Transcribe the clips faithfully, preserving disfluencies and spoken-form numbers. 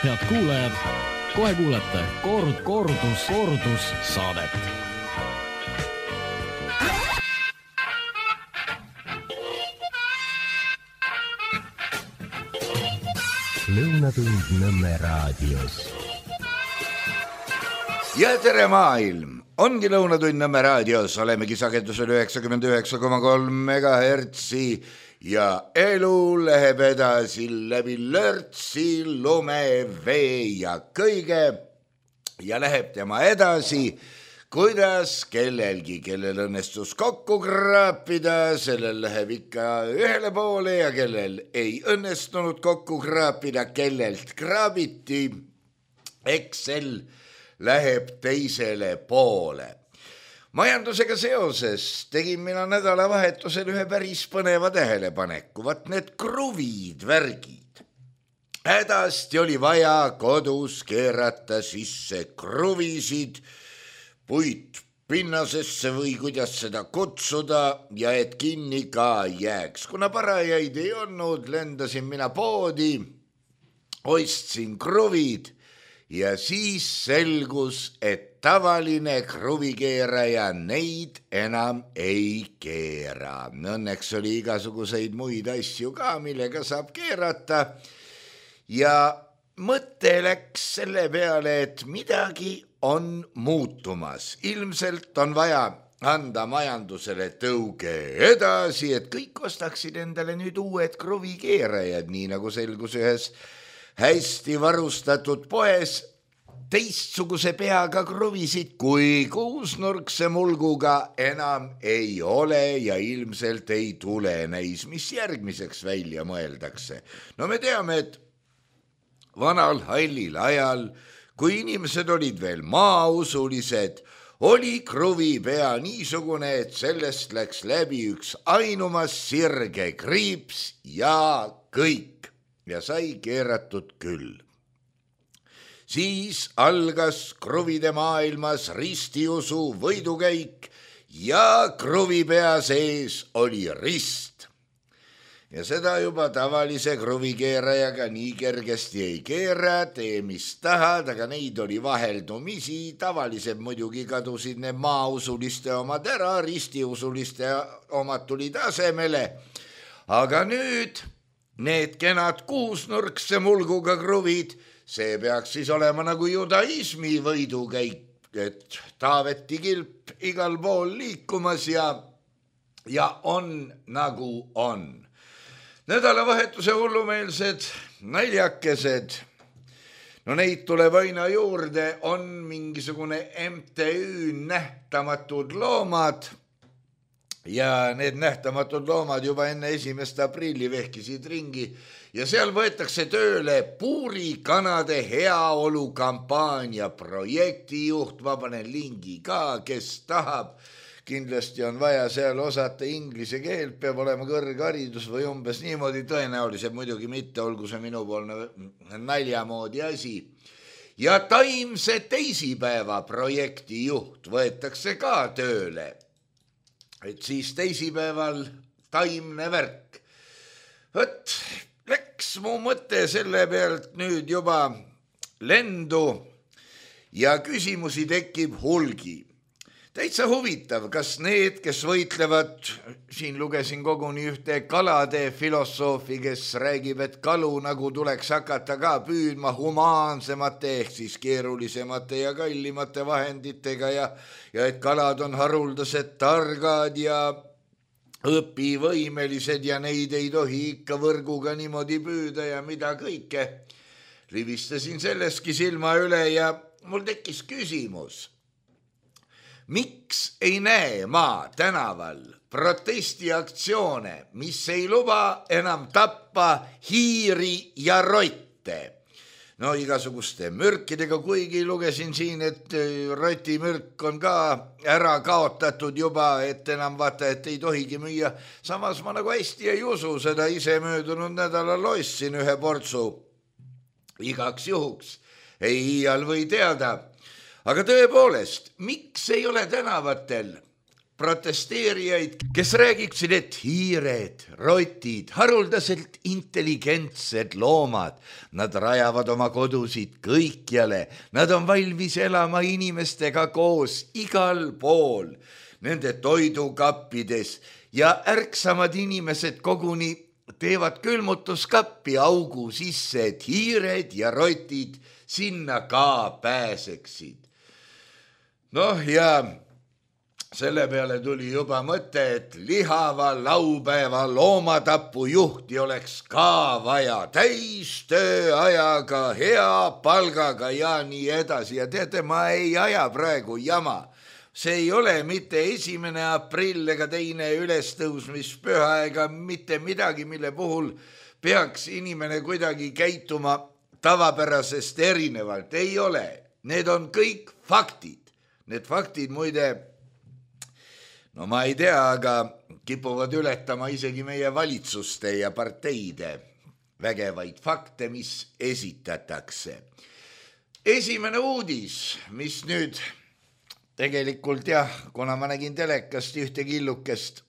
Head kuulajad, kohe kuulete kord, kordus, kordus saadet. Lõunatund Nõmme raadios. Ja tere maailm! Ongi Lõunatund Nõmme raadios. Olemegi sagedusel üheksakümmend üheksa koma kolm megahertsi ja elu läheb edasi läbi lörtsi, lume, vee ja kõige ja läheb tema edasi, kuidas kellelgi, kellel õnnestus kokku kraapida, sellel läheb ikka ühele poole ja kellel ei õnnestunud kokku kraapida, kellelt kraabiti, eks sel läheb teisele poole. Majandusega seoses tegin mina nädalavahetusel ühe päris põneva tähelepaneku. Vat need kruvid, värgid. Hädasti oli vaja kodus keerata sisse kruvisid, puit pinnasesse või kuidas seda kutsuda ja et kinni ka jääks. Kuna parajaid ei olnud, lendasin mina poodi, ostsin kruvid ja siis selgus, et tavaline kruvikeeraja neid enam ei keera. Õnneks oli igasuguseid muid asju ka, millega saab keerata. Ja mõte läks selle peale, et midagi on muutumas. Ilmselt on vaja anda majandusele tõuge edasi, et kõik ostaksid endale nüüd uued kruvikeerajad, nii nagu selgus ühes hästi varustatud poes, teistsuguse peaga kruvisid kui kuusnurkse mulguga enam ei ole ja ilmselt ei tule näis, mis järgmiseks välja mõeldakse. No me teame, et vanal hallil ajal, kui inimesed olid veel maausulised, oli kruvipea niisugune, et sellest läks läbi üks ainumas sirge kriips ja kõik ja sai keeratud küll. Siis algas kruvide maailmas ristiusu võidukäik ja kruvipea sees oli rist. Ja seda juba tavalise kruvikeerajaga nii kergesti ei keera, tee mis tahad, aga neid oli vaheldumisi. Tavalised muidugi kadusid need maausuliste omad ära, ristiusuliste omad tulid asemele. Aga nüüd need kenad kuusnurkse mulguga kruvid, see peaks siis olema nagu judaismi võidukäik, et Taaveti kilp igal pool liikumas ja, ja on nagu on. Nädalavahetuse hullumeelsed naljakesed, no neid tuleb aina juurde, on mingisugune M T Ü nähtamatud loomad ja need nähtamatud loomad juba enne esimest aprilli vehkisid ringi ja seal võetakse tööle puurikanade heaolu kampaania projektijuht, ma panen lingi ka, kes tahab. Kindlasti on vaja seal osata inglise keelt, peab olema kõrgharidus või umbes niimoodi, tõenäoliselt muidugi mitte, olgu see minupoolne naljamoodi asi. Ja taimse teisipäeva projektijuht võetakse ka tööle, et siis teisipäeval taimne värk. Võt, läks mu mõte selle pealt nüüd juba lendu ja küsimusi tekib hulgi. Täitsa huvitav, kas need, kes võitlevad, siin lugesin koguni ühte kalade filosoofi, kes räägib, et kalu nagu tuleks hakata ka püüdma humaansemate ehk siis keerulisemate ja kallimate vahenditega ja, ja et kalad on haruldased targad ja õpivõimelised ja neid ei tohi ikka võrguga niimoodi püüda ja mida kõike. Rivistasin selleski silma üle ja mul tekkis küsimus. Miks ei näe ma tänaval protestiaktsioone, mis ei luba enam tappa hiiri ja rotte? No igasuguste mürkidega, kuigi lugesin siin, et rotimürk on ka ära kaotatud juba, et enam vaata, et ei tohigi müüa. Samas ma nagu hästi ei usu seda, ise möödunud nädalal ostsin ühe portsu igaks juhuks. Ei iial või teada. Aga tõepoolest, miks ei ole tänavatel protesteerijaid, kes räägiksid, et hiired, rotid, haruldaselt intelligentsed loomad, nad rajavad oma kodusid kõikjale, nad on valmis elama inimestega koos igal pool, nende toidukappides ja ärksamad inimesed koguni teevad külmutuskappi augu sisse, et hiired ja rotid sinna ka pääseksid. Noh ja selle peale tuli juba mõte, et lihava laupäeva loomatapu juhti oleks ka vaja täis tööajaga, hea palgaga ja nii edasi. Ja teate, ma ei aja praegu jama. See ei ole mitte esimene aprill ega teine ülestõusmispüha ega mitte midagi, mille puhul peaks inimene kuidagi käituma tavapärasest erinevalt. Ei ole. Need on kõik faktid. Need faktid muide, no ma ei tea, aga kipuvad ületama isegi meie valitsuste ja parteide vägevaid fakte, mis esitatakse. Esimene uudis, mis nüüd tegelikult jah, kuna ma nägin telekast ühte killukest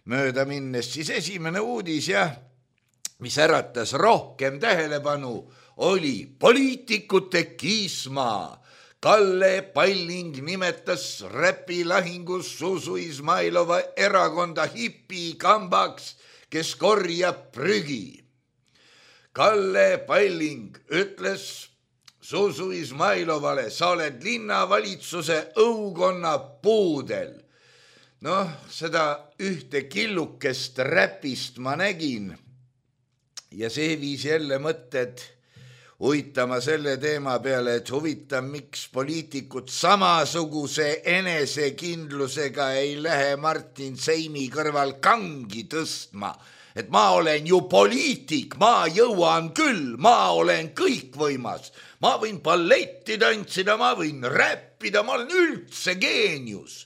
mööda minnes, siis esimene uudis jah, mis äratas rohkem tähelepanu, oli poliitikute kiisma. Kalle Palling nimetas räpilahingus Zuzu Izmailova erakonda hipikambaks, kes korjab prügi. Kalle Palling ütles Zuzu Izmailovale, sa oled linnavalitsuse õukonna puudel. Noh, seda ühte killukest räpist ma nägin ja see viis jälle mõtted uitama selle teema peale, et huvitav, miks poliitikud samasuguse enesekindlusega ei lähe Martin Seimi kõrval kangi tõstma. Et ma olen ju poliitik, ma jõuan küll, ma olen kõikvõimas. Ma võin balletti tantsida, ma võin räppida, ma olen üldse geenius.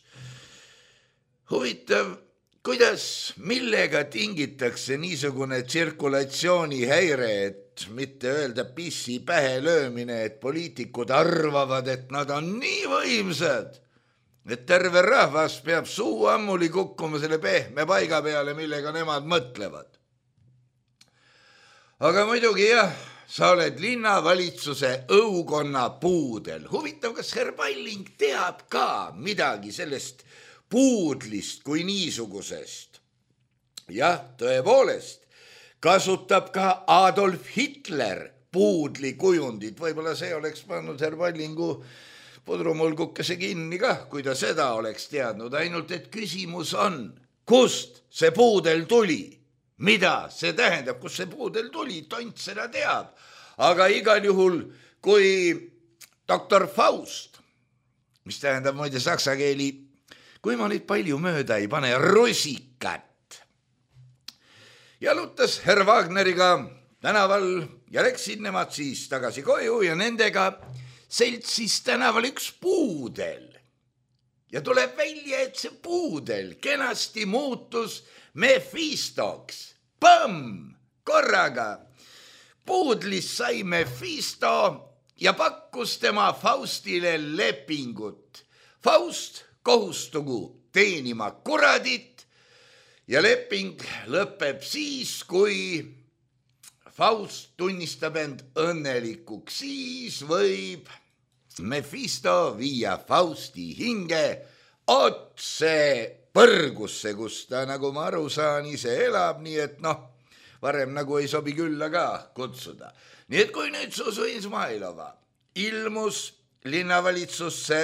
Huvitav, kuidas, millega tingitakse niisugune tsirkulatsioonihäire, et mitte öelda pissi pähe löömine, et poliitikud arvavad, et nad on nii võimsad, et terve rahvas peab suu ammuli kukkuma selle pehme paiga peale, millega nemad mõtlevad. Aga muidugi jah, sa oled linnavalitsuse õukonna puudel. Huvitav, kas herr Palling teab ka midagi sellest puudlist kui niisugusest? Jah, tõepoolest, kasutab ka Adolf Hitler puudli kujundit. Võib-olla see oleks pannud herr Pallingu pudrumulgukese kinni kah, kui ta seda oleks teadnud. Ainult, et küsimus on, kust see puudel tuli? Mida see tähendab, kus see puudel tuli? Tont seda teab. Aga igal juhul, kui doktor Faust, mis tähendab muide saksa keeli, kui ma nüüd palju mööda ei pane, rusikat, jalutas herr Wagneriga tänaval ja läksid nemad siis tagasi koju ja nendega seltsis tänaval üks puudel. Ja tuleb välja, et see puudel kenasti muutus Mephistoks. Põmm! Korraga. Puudlis sai Mephisto ja pakkus tema Faustile lepingut. Faust kohustugu teenima kuradit ja leping lõpeb siis, kui Faust tunnistab end õnnelikuks. Siis võib Mephisto viia Fausti hinge otse põrgusse, kus ta, nagu ma aru saan, ise elab, nii et noh, varem nagu ei sobi külla ka kutsuda. Nii et kui nüüd Zuzu Izmailova ilmus linnavalitsusse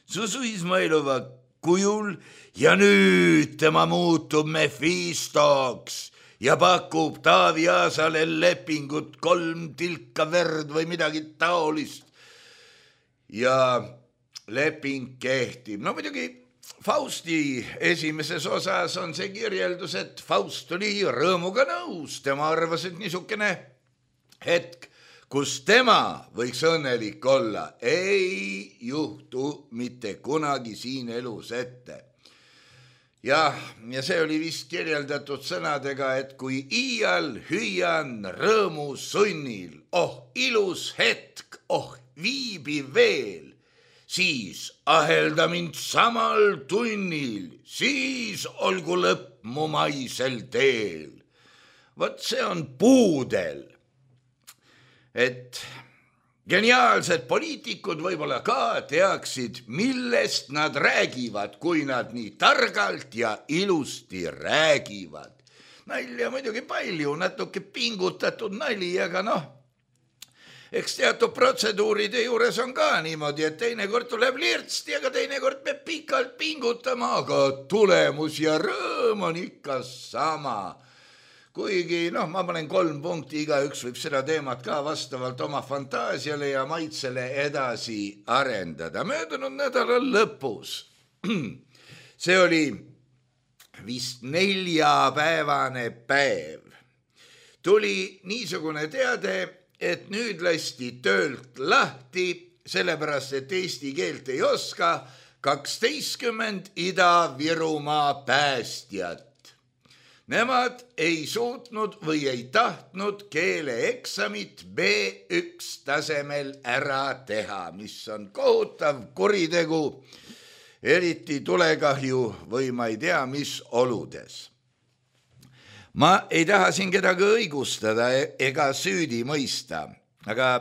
Zuzu Izmailova kujul ja nüüd tema muutub Mephistoks ja pakub Taavi Aasale lepingut kolm tilka verd või midagi taolist. Ja leping kehtib. No muidugi Fausti esimeses osas on see kirjeldus, et Faust oli rõõmuga nõus. Tema arvas, et niisugune hetk, kus tema võiks õnnelik olla, ei juhtu mitte kunagi siin elus ette. Ja, ja see oli vist kirjeldatud sõnadega, et kui iial hüüan rõõmu sunnil, oh ilus hetk, oh viibi veel, siis ahelda mind samal tunnil, siis olgu lõpp mu maisel teel. Vot see on puudel. Et geniaalsed poliitikud võib-olla ka teaksid, millest nad räägivad, kui nad nii targalt ja ilusti räägivad. Nalja muidugi palju, natuke pingutatud nali, aga noh, eks teatud protseduuride juures on ka niimoodi, et teinekord tuleb lirtsti, aga teinekord peab pikalt pingutama, aga tulemus ja rõõm on ikka sama. Kuigi, noh, ma panen kolm punkti, igaüks võib seda teemat ka vastavalt oma fantaasiale ja maitsele edasi arendada. Möödunud nädalal lõpus. See oli vist neljapäevane päev. Tuli niisugune teade, et nüüd lasti töölt lahti, sellepärast, et eesti keelt ei oska kaksteistkümmend Ida-Virumaa päästjat. Nemad ei suutnud või ei tahtnud keeleeksamit B üks tasemel ära teha, mis on kohutav kuritegu, eriti tulekahju või ma ei tea, mis oludes. Ma ei taha siin kedagi õigustada ega süüdi mõista, aga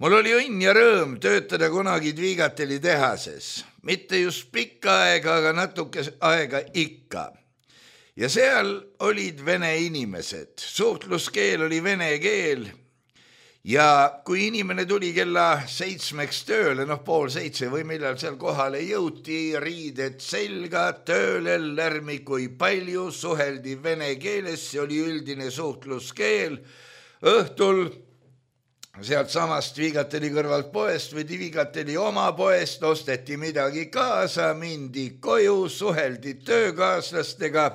mul oli õnn ja rõõm töötada kunagi Dvigateli tehases. Mitte just pikka aega, aga natuke aega ikka. Ja seal olid vene inimesed, suhtluskeel oli vene keel ja kui inimene tuli kella seitsmeks tööle, noh pool seitse või millal seal kohale jõuti, riided selga, tööle lärmi kui palju, suheldi vene keeles, see oli üldine suhtluskeel. Õhtul sealt samast Dvigateli kõrvalt poest või Dvigateli oma poest osteti midagi kaasa, mindi koju, suheldi töökaaslastega.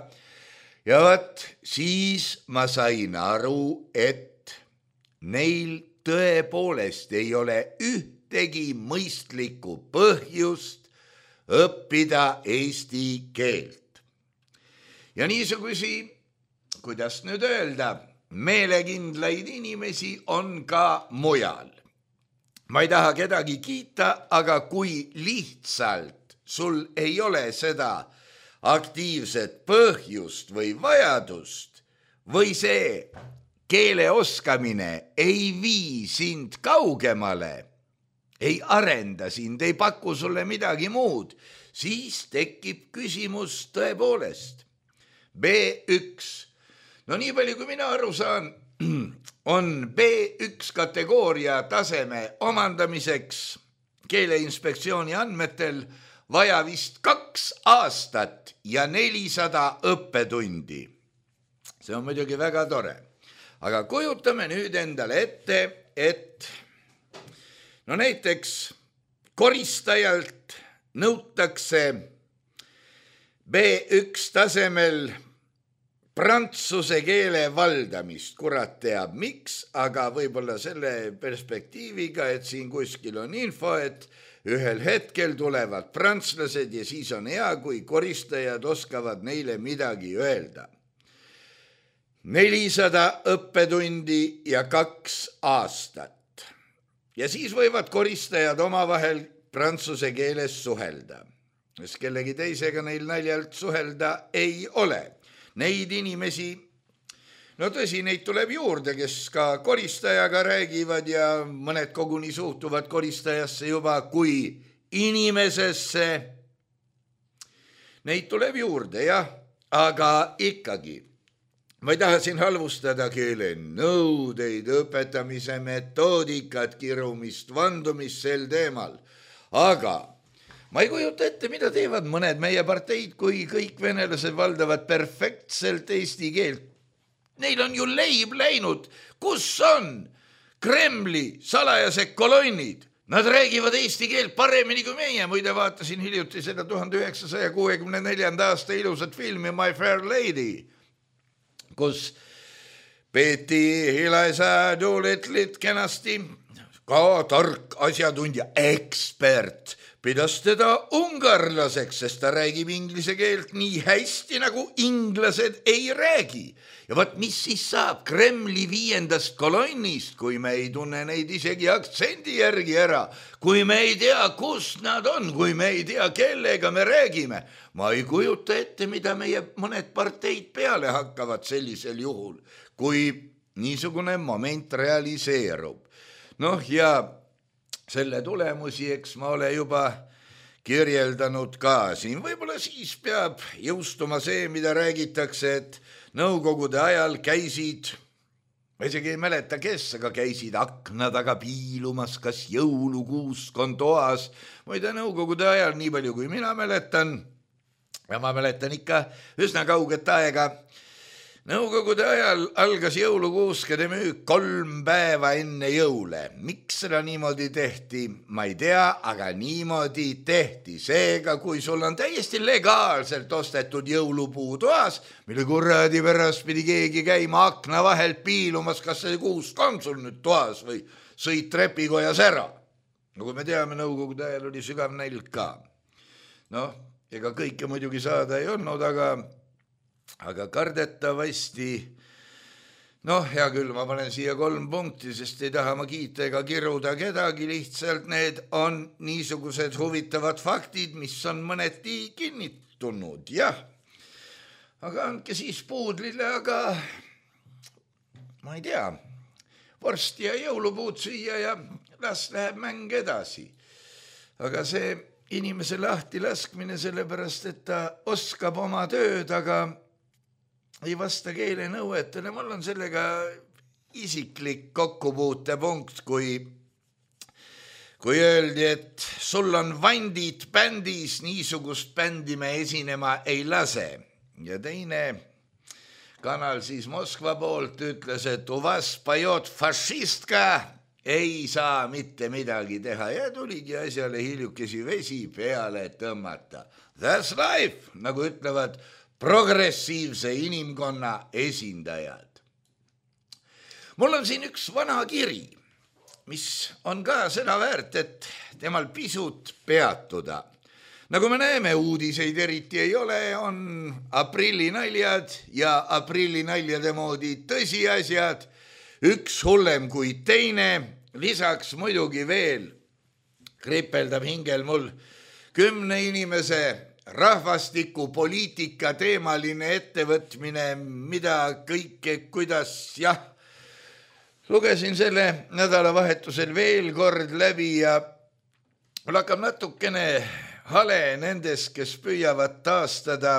Ja vaat siis ma sain aru, et neil tõepoolest ei ole ühtegi mõistlikku põhjust õppida eesti keelt. Ja niisugusi, kuidas nüüd öelda, meelekindlaid inimesi on ka mujal. Ma ei taha kedagi kiita, aga kui lihtsalt sul ei ole seda aktiivset põhjust või vajadust või see keele oskamine ei vii sind kaugemale, ei arenda sind, ei paku sulle midagi muud, siis tekib küsimus tõepoolest. B üks. No nii palju, kui mina aru saan, on B üks kategooria taseme omandamiseks Keeleinspektsiooni andmetel vaja vist kaks aastat ja nelisada õppetundi. See on muidugi väga tore. Aga kujutame nüüd endale ette, et no näiteks koristajalt nõutakse B üks tasemel prantsuse keele valdamist. Kurat teab miks, aga võib-olla selle perspektiiviga, et siin kuskil on info, et ühel hetkel tulevad prantslased ja siis on hea, kui koristajad oskavad neile midagi öelda. nelisada õppetundi ja kaks aastat. Ja siis võivad koristajad omavahel prantsuse keeles suhelda. Sest kellegi teisega neil naljalt suhelda ei ole. Neid inimesi, no tõsi, neid tuleb juurde, kes ka koristajaga räägivad ja mõned koguni suhtuvad koristajasse juba kui inimesesse. Neid tuleb juurde, jah, aga ikkagi. Ma ei taha siin halvustada keele nõudeid, õpetamise metoodikat, kirumist, vandumist sel teemal. Aga ma ei kujuta ette, mida teevad mõned meie parteid, kui kõik venelased valdavad perfektselt eesti keelt. Neil on ju leib läinud. Kus on Kremli salajased kolonnid? Nad räägivad eesti keelt paremini kui meie. Muide vaatasin hiljuti seda tuhande üheksasaja kuuekümne neljanda aasta ilusat filmi My Fair Lady, kus peeti Hilaisa Doolitlit kenasti, ka tark asjatundja, ekspert, pidas teda ungarlaseks, sest ta räägib inglise keelt nii hästi, nagu inglased ei räägi. Ja võt, mis siis saab Kremli viiendast kolonnist, kui me ei tunne neid isegi aktsendi järgi ära, kui me ei tea, kus nad on, kui me ei tea, kellega me räägime. Ma ei kujuta ette, mida meie mõned parteid peale hakkavad sellisel juhul, kui niisugune moment realiseerub. Noh, ja selle tulemusi, eks ma ole juba kirjeldanud ka siin. Võib-olla siis peab jõustuma see, mida räägitakse, et nõukogude ajal käisid, ma isegi ei mäleta, kes, aga käisid akna taga piilumas, kas jõulukuusk on toas. Muide, nõukogude ajal, nii palju kui mina mäletan, ja ma mäletan ikka üsna kauget aega, nõukogude ajal algas jõulukuuskade müük kolm päeva enne jõule. Miks seda niimoodi tehti, ma ei tea, aga niimoodi tehti. Seega, kui sul on täiesti legaalselt ostetud jõulupuu toas, mille kuradi pärast pidi keegi käima akna vahelt piilumas, kas see kuusk on sul nüüd toas või sõit trepikojas ära. Nagu me teame, nõukogude ajal oli sügav nälg ka. Noh, ega kõike muidugi saada ei olnud, aga aga kardetavasti, noh, hea küll, ma panen siia kolm punkti, sest ei taha ma kiita ega kiruda kedagi, lihtsalt need on niisugused huvitavad faktid, mis on mõneti kinnitunud, jah. Aga andke siis puudlile, aga ma ei tea, vorsti ja jõulupuud süüa ja las läheb mäng edasi. Aga see inimese lahti laskmine sellepärast, et ta oskab oma tööd, aga ei vasta keele nõuetele. Mul on sellega isiklik kokkupuutepunkt, kui, kui öeldi, et sul on vandid bändis, niisugust bändi me esinema ei lase. Ja teine kanal siis Moskva poolt ütles, et u vas pajot fašistka, ei saa mitte midagi teha ja tuligi asjale hiljukesi vesi peale tõmmata. That's life, nagu ütlevad progressiivse inimkonna esindajad. Mul on siin üks vana kiri, mis on ka seda väärt, et temal pisut peatuda. Nagu me näeme, uudiseid eriti ei ole, on aprillinaljad ja aprillinaljade moodi tõsiasjad, üks hullem kui teine, lisaks muidugi veel kripeldab hingel mul kümne inimese rahvastiku poliitika teemaline ettevõtmine, mida kõike, kuidas, jah, lugesin selle nädalavahetusel veel kord läbi ja mul hakkab natukene hale nendes, kes püüavad taastada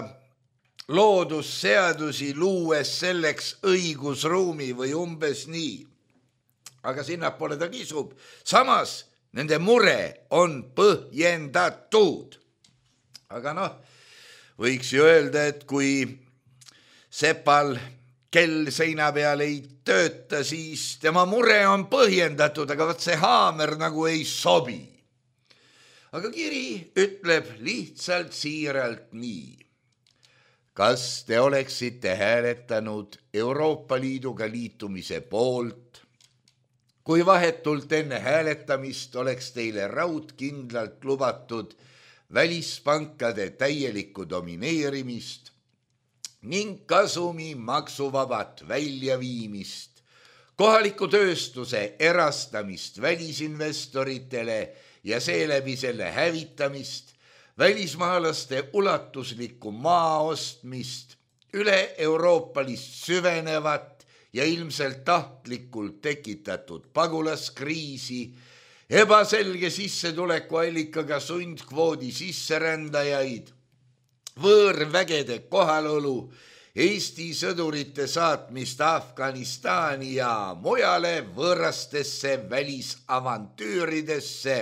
loodusseadusi luues selleks õigusruumi või umbes nii. Aga sinnapoole ta kisub. Samas nende mure on põhjendatud. Aga noh, võiks ju öelda, et kui sepal kell seina peal ei tööta, siis tema mure on põhjendatud, aga võt see haamer nagu ei sobi. Aga kiri ütleb lihtsalt siiralt nii. Kas te oleksite hääletanud Euroopa Liiduga liitumise poolt, kui vahetult enne hääletamist oleks teile raudkindlalt lubatud välispankade täielikku domineerimist ning kasumi maksuvabat väljaviimist, kohaliku tööstuse erastamist välisinvestoritele ja seeläbi selle hävitamist, välismaalaste ulatuslikku maa ostmist, üle-euroopalist süvenevat ja ilmselt tahtlikult tekitatud pagulaskriisi, ebaselge sissetulekuallikaga sundkvoodi sisserändajaid, võõrvägede kohalolu, Eesti sõdurite saatmist Afganistani ja mujale võõrastesse välisavantüüridesse,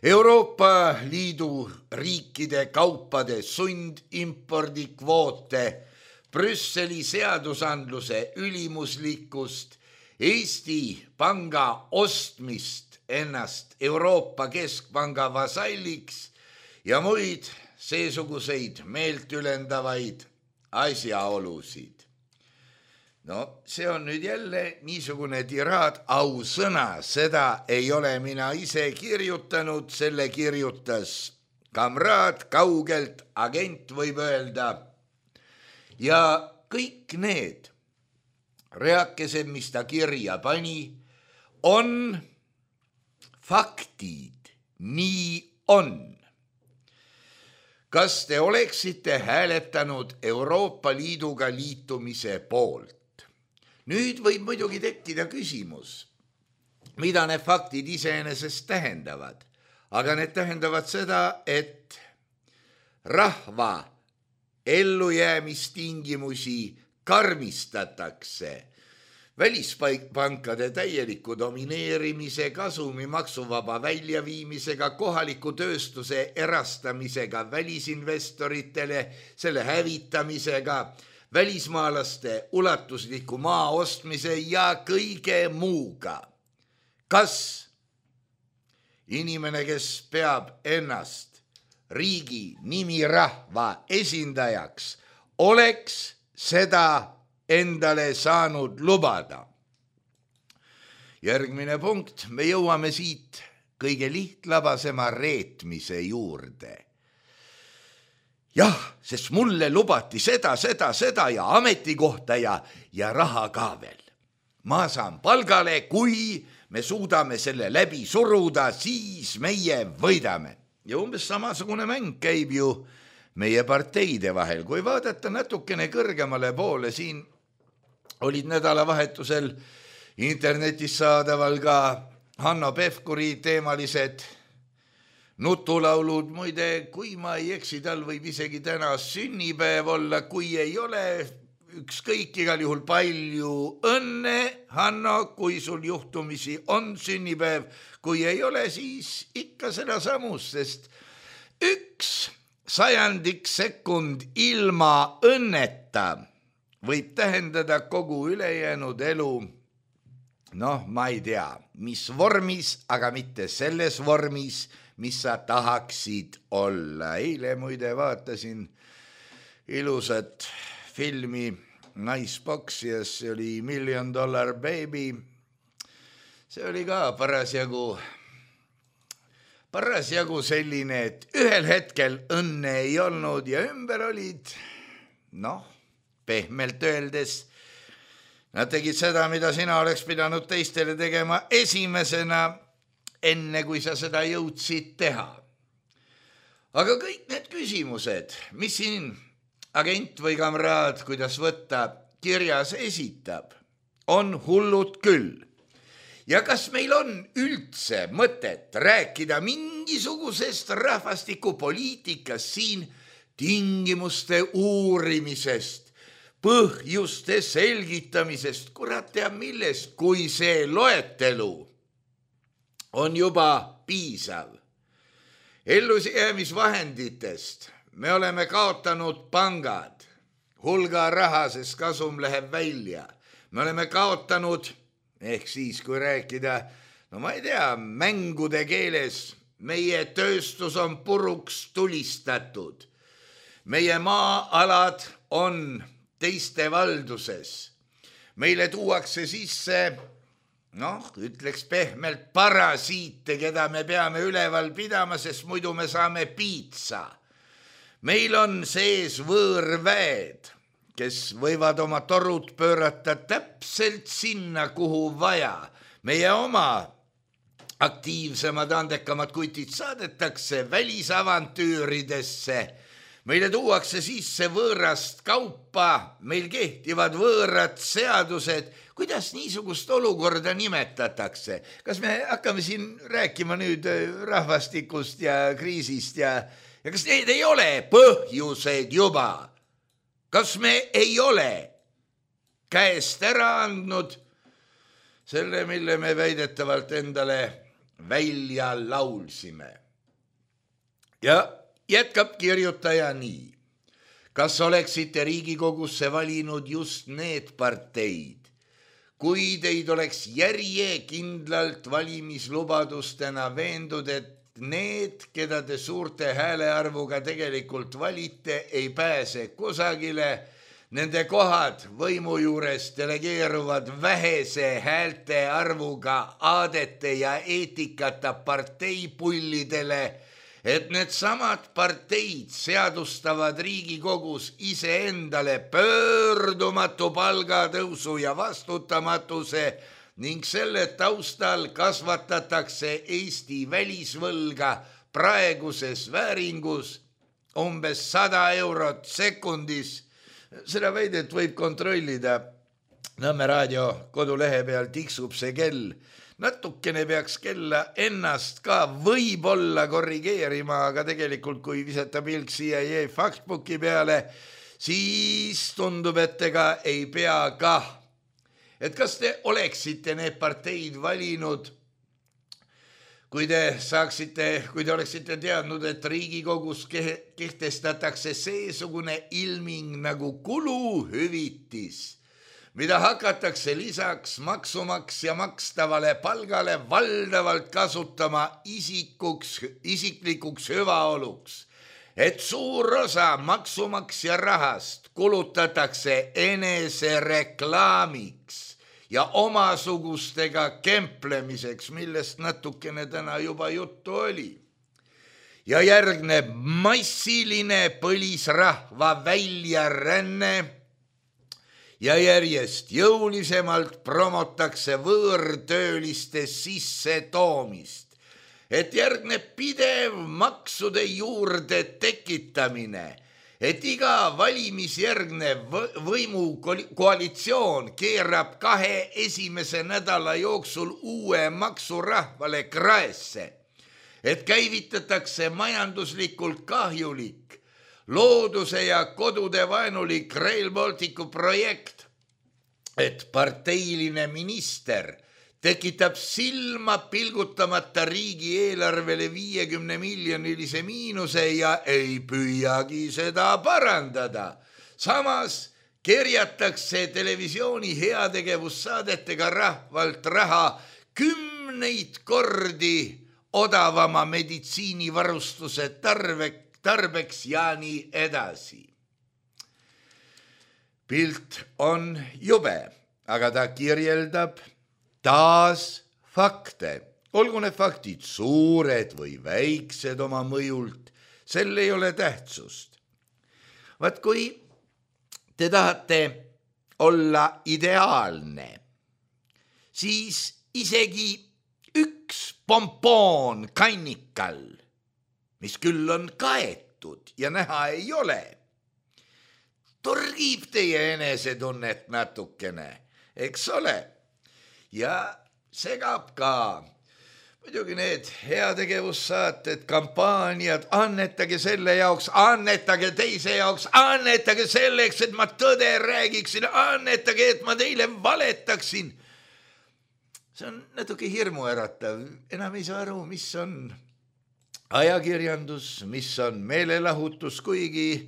Euroopa Liidu riikide kaupade sundimpordikvoote, Brüsseli seadusandluse ülimuslikkust, Eesti panga ostmist ennast Euroopa Keskpanga vasalliks ja muid seesuguseid meelt ülendavaid asjaolusid. no see on nüüd jälle niisugune tiraad, ausõna, seda ei ole mina ise kirjutanud, selle kirjutas kamraad kaugelt, agent võib öelda. Ja kõik need reakesed, mis ta kirja pani, on faktid, nii on. Kas te oleksite hääletanud Euroopa Liiduga liitumise poolt? Nüüd võib muidugi tekkida küsimus, mida need faktid iseenesest tähendavad, aga need tähendavad seda, et rahva ellujäämistingimusi karmistatakse välispankade täieliku domineerimise, kasumi maksuvaba väljaviimisega, kohaliku tööstuse erastamisega välisinvestoritele, selle hävitamisega, välismaalaste ulatusliku maa ostmise ja kõige muuga. Kas inimene, kes peab ennast riigi nimirahva esindajaks, oleks seda endale saanud lubada? Järgmine punkt, me jõuame siit kõige lihtlabasema reetmise juurde. Jah, sest mulle lubati seda, seda, seda ja ametikohta ja, ja raha ka veel. Ma saan palgale, kui me suudame selle läbi suruda, siis meie võidame. Ja umbes samasugune mäng käib ju meie parteide vahel. Kui vaadata natukene kõrgemale poole, siin olid nädalavahetusel internetis saadaval ka Hanno Pevkuri teemalised nutulaulud. Muide, kui ma ei eksi, tal võib isegi täna sünnipäev olla, kui ei ole, ükskõik igal juhul palju õnne, Hanno, kui sul juhtumisi on sünnipäev, kui ei ole, siis ikka seda samus, sest üks sajandik sekund ilma õnneta võib tähendada kogu ülejäänud elu, noh, ma ei tea, mis vormis, aga mitte selles vormis, mis sa tahaksid olla. Eile muide vaatasin ilusat filmi Naispoksijas, see oli Million Dollar Baby. See oli ka parasjagu, parasjagu selline, et ühel hetkel õnne ei olnud ja ümber olid, noh, pehmelt öeldes, nad tegid seda, mida sina oleks pidanud teistele tegema esimesena, enne kui sa seda jõudsid teha. Aga kõik need küsimused, mis siin agent või kamraad, kuidas võtta, kirjas esitab, on hullud küll. Ja kas meil on üldse mõtet rääkida mingisugusest rahvastikupoliitikast siin, tingimuste uurimisest, põhjuste selgitamisest, kurat teab millest, kui see loetelu on juba piisav. Ellujäämisvahenditest me oleme kaotanud pangad, hulga raha, sest kasum läheb välja. Me oleme kaotanud, ehk siis kui rääkida, no ma ei tea, mängude keeles, meie tööstus on puruks tulistatud. Meie maa-alad on teiste valduses. Meile tuuakse sisse, noh, ütleks pehmelt parasiite, keda me peame üleval pidama, sest muidu me saame piitsa. Meil on sees võõrväed, kes võivad oma torud pöörata täpselt sinna, kuhu vaja. Meie oma aktiivsemad, andekamad kutid saadetakse välisavantüüridesse. Meile tuuakse sisse võõrast kaupa, meil kehtivad võõrad seadused. Kuidas niisugust olukorda nimetatakse? Kas me hakkame siin rääkima nüüd rahvastikust ja kriisist ja, ja kas need ei ole põhjused juba? Kas me ei ole käest ära andnud selle, mille me väidetavalt endale välja laulsime? Ja jätkab kirjutaja nii. Kas oleksite Riigikogusse valinud just need parteid, kui teid oleks järjekindlalt valimislubadustena veendud, et need, keda te suurte häälearvuga tegelikult valite, ei pääse kusagile, nende kohad võimu juures delegeeruvad vähese häälte arvuga aadete ja eetikata parteipullidele, et need samad parteid seadustavad Riigikogus iseendale pöördumatu palgatõusu ja vastutamatuse ning selle taustal kasvatatakse Eesti välisvõlga praeguses vääringus umbes sada eurot sekundis. Seda väidet võib kontrollida. Nõmme raadio kodulehe peal tiksub see kell. Natukene peaks kella ennast ka võib-olla korrigeerima, aga tegelikult kui visata pilk C I A factbooki peale, siis tundub, et ega ei pea ka. Et kas te oleksite need parteid valinud, kui te saaksite, kui te oleksite teadnud, et Riigikogus kehtestatakse seesugune ilming nagu kuluhüvitis, mida hakatakse lisaks maksumaksja makstavale palgale valdavalt kasutama isikuks, isiklikuks hüvaoluks, et suur osa maksumaksja rahast kulutatakse enesereklaamiks ja omasugustega kemplemiseks, millest natukene täna juba juttu oli. Ja järgneb massiline põlisrahva väljaränne ja järjest jõulisemalt promotakse võõrtööliste sisse toomist, et järgneb pidev maksude juurde tekitamine, et iga valimisjärgne võimukoalitsioon keerab kahe esimese nädala jooksul uue maksurahvale kraesse, et käivitatakse majanduslikult kahjulik looduse ja kodude vaenulik Rail Balticu projekt, et parteiline minister tekitab silma pilgutamata riigieelarvele viiekümne miljonilise miinuse ja ei püüagi seda parandada. Samas kerjatakse televisiooni heategevussaadetega rahvalt raha kümneid kordi odavama meditsiinivarustuse tarveks, tarbeks ja nii edasi. Pilt on jube, aga ta kirjeldab taas fakte. Olgu need faktid suured või väiksed oma mõjult, sel ei ole tähtsust. Vaat kui te tahate olla ideaalne, siis isegi üks pompoon kannikal, mis küll on kaetud ja näha ei ole, torgib teie enesetunnet natukene, eks ole, ja segab ka. Muidugi need heategevussaated, kampaaniad, annetage selle jaoks, annetage teise jaoks, annetage selleks, et ma tõde räägiksin, annetage, et ma teile valetaksin. See on natuke hirmuäratav, enam ei saa aru, mis on ajakirjandus, mis on meelelahutus, kuigi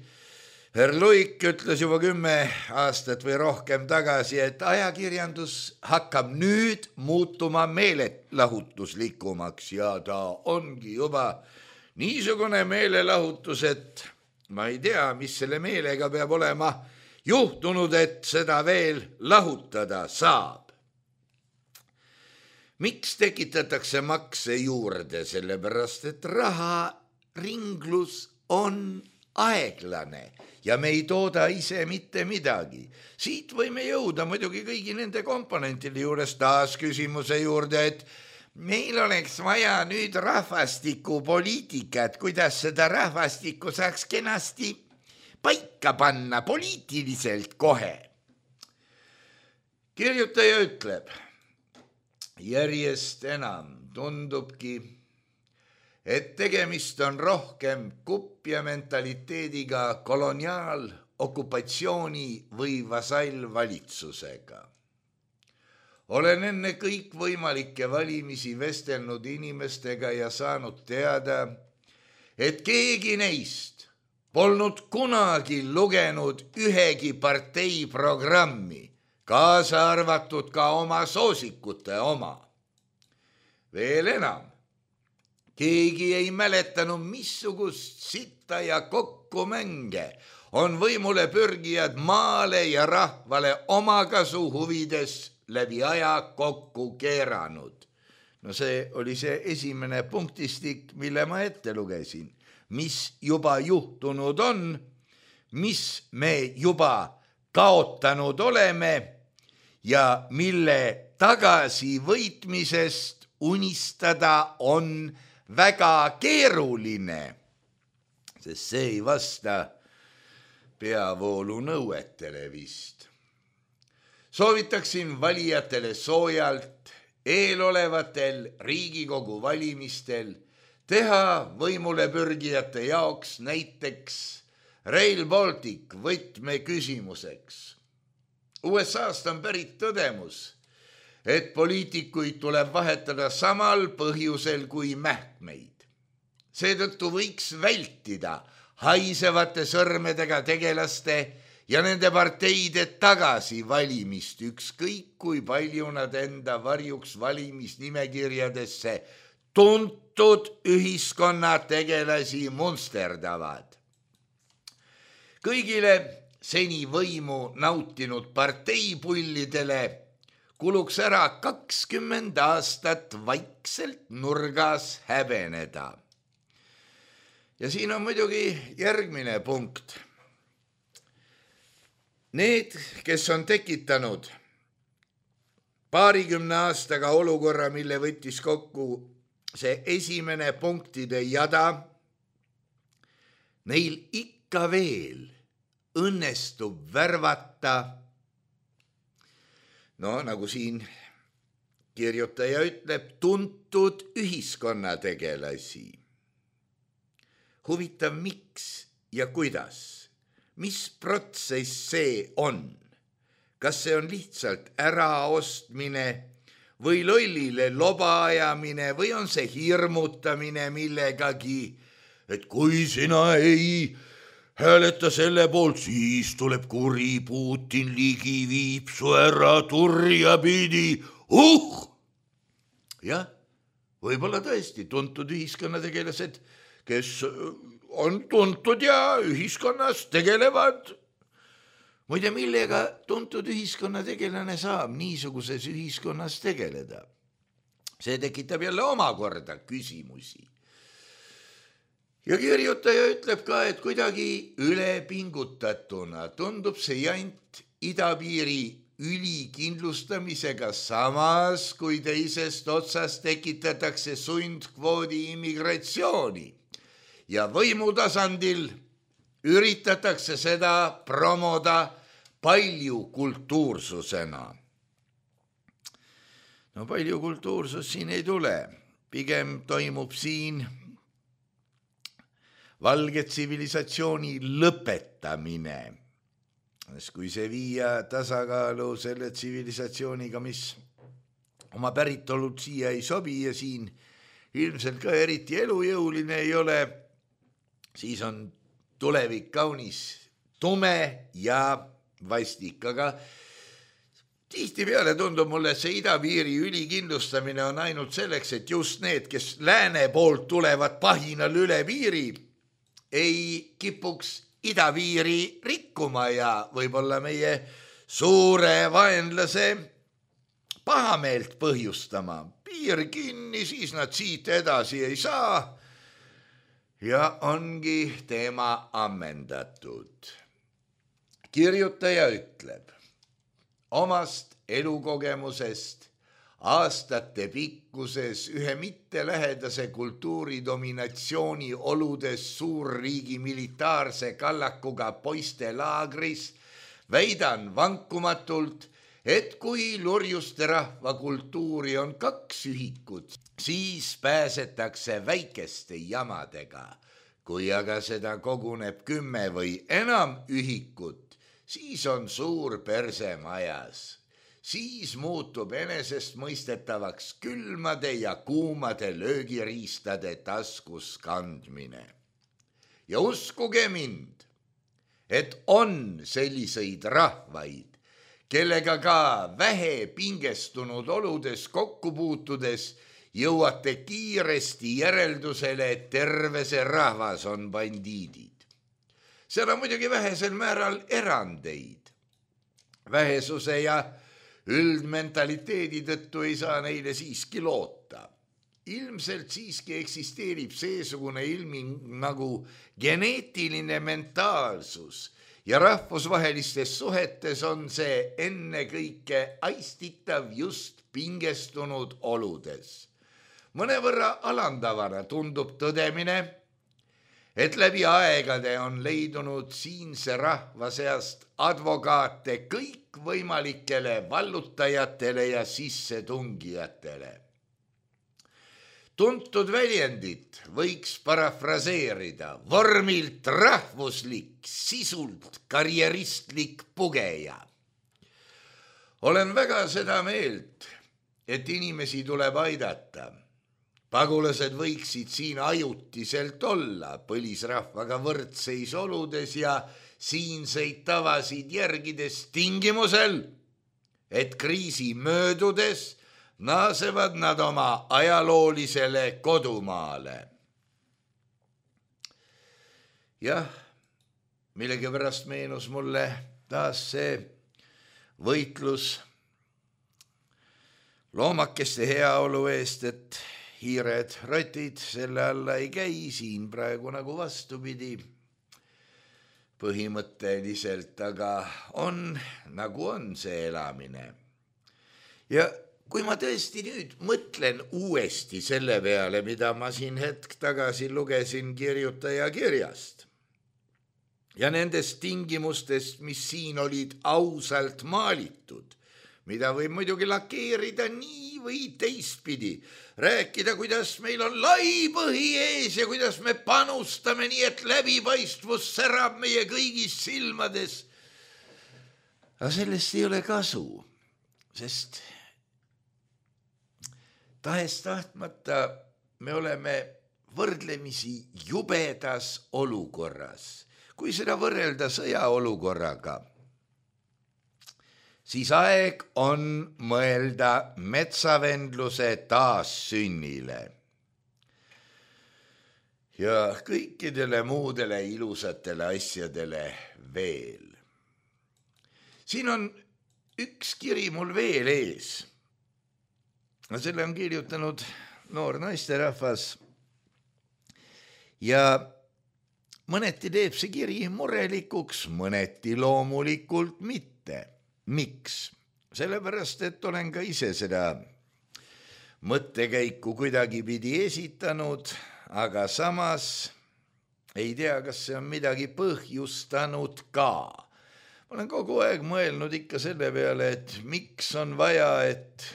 Herr Luik ütles juba kümme aastat või rohkem tagasi, et ajakirjandus hakkab nüüd muutuma meelelahutuslikumaks ja ta ongi juba niisugune meelelahutus, et ma ei tea, mis selle meelega peab olema juhtunud, et seda veel lahutada saab. Miks tekitatakse makse juurde? Sellepärast, et raha ringlus on aeglane ja me ei tooda ise mitte midagi. Siit võime jõuda muidugi kõigi nende komponentide juures taas küsimuse juurde, et meil oleks vaja nüüd rahvastikupoliitikat, kuidas seda rahvastikku saaks kenasti paika panna poliitiliselt kohe. Kirjutaja ütleb, järjest enam tundubki, et tegemist on rohkem kupja mentaliteediga koloniaal, okupatsiooni või vasallvalitsusega. Olen enne kõik võimalikke valimisi vestelnud inimestega ja saanud teada, et keegi neist polnud kunagi lugenud ühegi partei programmi, kaasa arvatud ka oma soosikute oma. Veel enam, keegi ei mäletanud missugust sitta ja kokkumänge on võimule pürgijad maale ja rahvale omakasu huvides läbi aja kokku keeranud. No see oli see esimene punktistik, mille ma ette lugesin, mis juba juhtunud on, mis me juba kaotanud oleme ja mille tagasivõitmisest unistada on väga keeruline, sest see ei vasta peavoolu nõuetele vist. Soovitaksin valijatele soojalt eelolevatel Riigikogu valimistel teha võimule pürgijate jaoks näiteks Rail Baltic võtmeküsimuseks. U S A-st on pärit tõdemus, et poliitikuid tuleb vahetada samal põhjusel kui mähkmeid. Seetõttu võiks vältida haisevate sõrmedega tegelaste ja nende parteide tagasi valimist, ükskõik kui palju nad enda varjuks valimisnimekirjadesse tuntud ühiskonnategelasi munsterdavad. Kõigile seni võimu nautinud parteipullidele kuluks ära kakskümmend aastat vaikselt nurgas häbeneda. Ja siin on muidugi järgmine punkt. Need, kes on tekitanud paarikümne aastaga olukorra, mille võttis kokku see esimene punktide jada, neil ikka veel õnnestub värvata, no nagu siin kirjutaja ütleb, tuntud ühiskonnategelasi. Huvitav, miks ja kuidas? Mis protsess see on? Kas see on lihtsalt äraostmine või lollile loba ajamine või on see hirmutamine millegagi, et kui sina ei hääleta selle poolt, siis tuleb kuri Putin ligi viib su ära turja pidi. Uh! Jah, võib-olla tõesti tuntud ühiskonnategelased, kes on tuntud ja ühiskonnas tegelevad. Muide, millega tuntud ühiskonnategelane saab niisuguses ühiskonnas tegeleda? See tekitab jälle omakorda küsimusi. Ja kirjutaja ütleb ka, et kuidagi ülepingutatuna tundub see jant idapiiri ülikindlustamisega samas, kui teisest otsast tekitatakse sundkvoodi immigratsiooni. Ja võimutasandil üritatakse seda promoda palju kultuursusena. No palju kultuursus siin ei tule. Pigem toimub siin valge tsivilisatsiooni lõpetamine. Kui see viia tasakaalu selle tsivilisatsiooniga, mis oma päritolud siia ei sobi ja siin ilmselt ka eriti elujõuline ei ole, siis on tulevik kaunis tume ja vastik, aga tihtipeale tundub mulle, et see idapiiri ülikindlustamine on ainult selleks, et just need, kes lääne poolt tulevad pahinal üle piiri, ei kipuks idapiiri rikkuma ja võib-olla meie suure vaenlase pahameelt põhjustama. Piir kinni, siis nad siit edasi ei saa ja ongi teema ammendatud. Kirjutaja ütleb omast elukogemusest aastate pikkuses ühe mittelähedase kultuuridominatsiooni oludes suurriigi militaarse kallakuga poiste laagris väidan vankumatult, et kui lurjuste rahva kultuuri on kaks ühikut, siis pääsetakse väikeste jamadega. Kui aga seda koguneb kümme või enam ühikut, siis on suur perse majas. Siis muutub enesest mõistetavaks külmade ja kuumade löögiriistade taskus kandmine. Ja uskuge mind, et on selliseid rahvaid, kellega ka vähe pingestunud oludes kokku puutudes jõuate kiiresti järeldusele, et terve see rahvas on bandiidid. seal on muidugi vähesel määral erandeid. Vähesuse ja üldmentaliteedi tõttu ei saa neile siiski loota. Ilmselt siiski eksisteerib seesugune ilming nagu geneetiline mentaalsus ja rahvusvahelistes suhetes on see ennekõike aistitav just pingestunud oludes. Mõnevõrra alandavana tundub tõdemine, et läbi aegade on leidunud siinse rahva seast advokaate kõikvõimalikele vallutajatele ja sissetungijatele. Tuntud väljendit võiks parafraseerida vormilt rahvuslik, sisult karjeristlik pugeja. Olen väga seda meelt, et inimesi tuleb aidata. Pagulased võiksid siin ajutiselt olla põlisrahvaga võrdseis oludes ja siinseid tavasid järgides tingimusel, et kriisi möödudes naasevad nad oma ajaloolisele kodumaale. Jah, millegipärast meenus mulle taas see võitlus loomakeste heaolu eest, et hiired, rotid selle alla ei käi, siin praegu nagu vastupidi põhimõtteliselt, aga on nagu on see elamine. Ja kui ma tõesti nüüd mõtlen uuesti selle peale, mida ma siin hetk tagasi lugesin kirjutaja kirjast ja nendest tingimustest, mis siin olid ausalt maalitud, mida võib muidugi lakeerida nii või teistpidi, rääkida, kuidas meil on lai põhi ees ja kuidas me panustame nii, et läbipaistvus särab meie kõigis silmades. Aga sellest ei ole kasu, sest tahes tahtmata me oleme võrdlemisi jubedas olukorras. Kui seda võrrelda sõjaolukorraga, siis aeg on mõelda metsavendluse taassünnile ja kõikidele muudele ilusatele asjadele veel. Siin on üks kiri mul veel ees. No selle on kirjutanud noor naisterahvas ja mõneti teeb see kiri murelikuks, mõneti loomulikult mitte. Miks? Sellepärast, et olen ka ise seda mõttekäiku kuidagi pidi esitanud, aga samas ei tea, kas see on midagi põhjustanud ka. Ma olen kogu aeg mõelnud ikka selle peale, et miks on vaja, et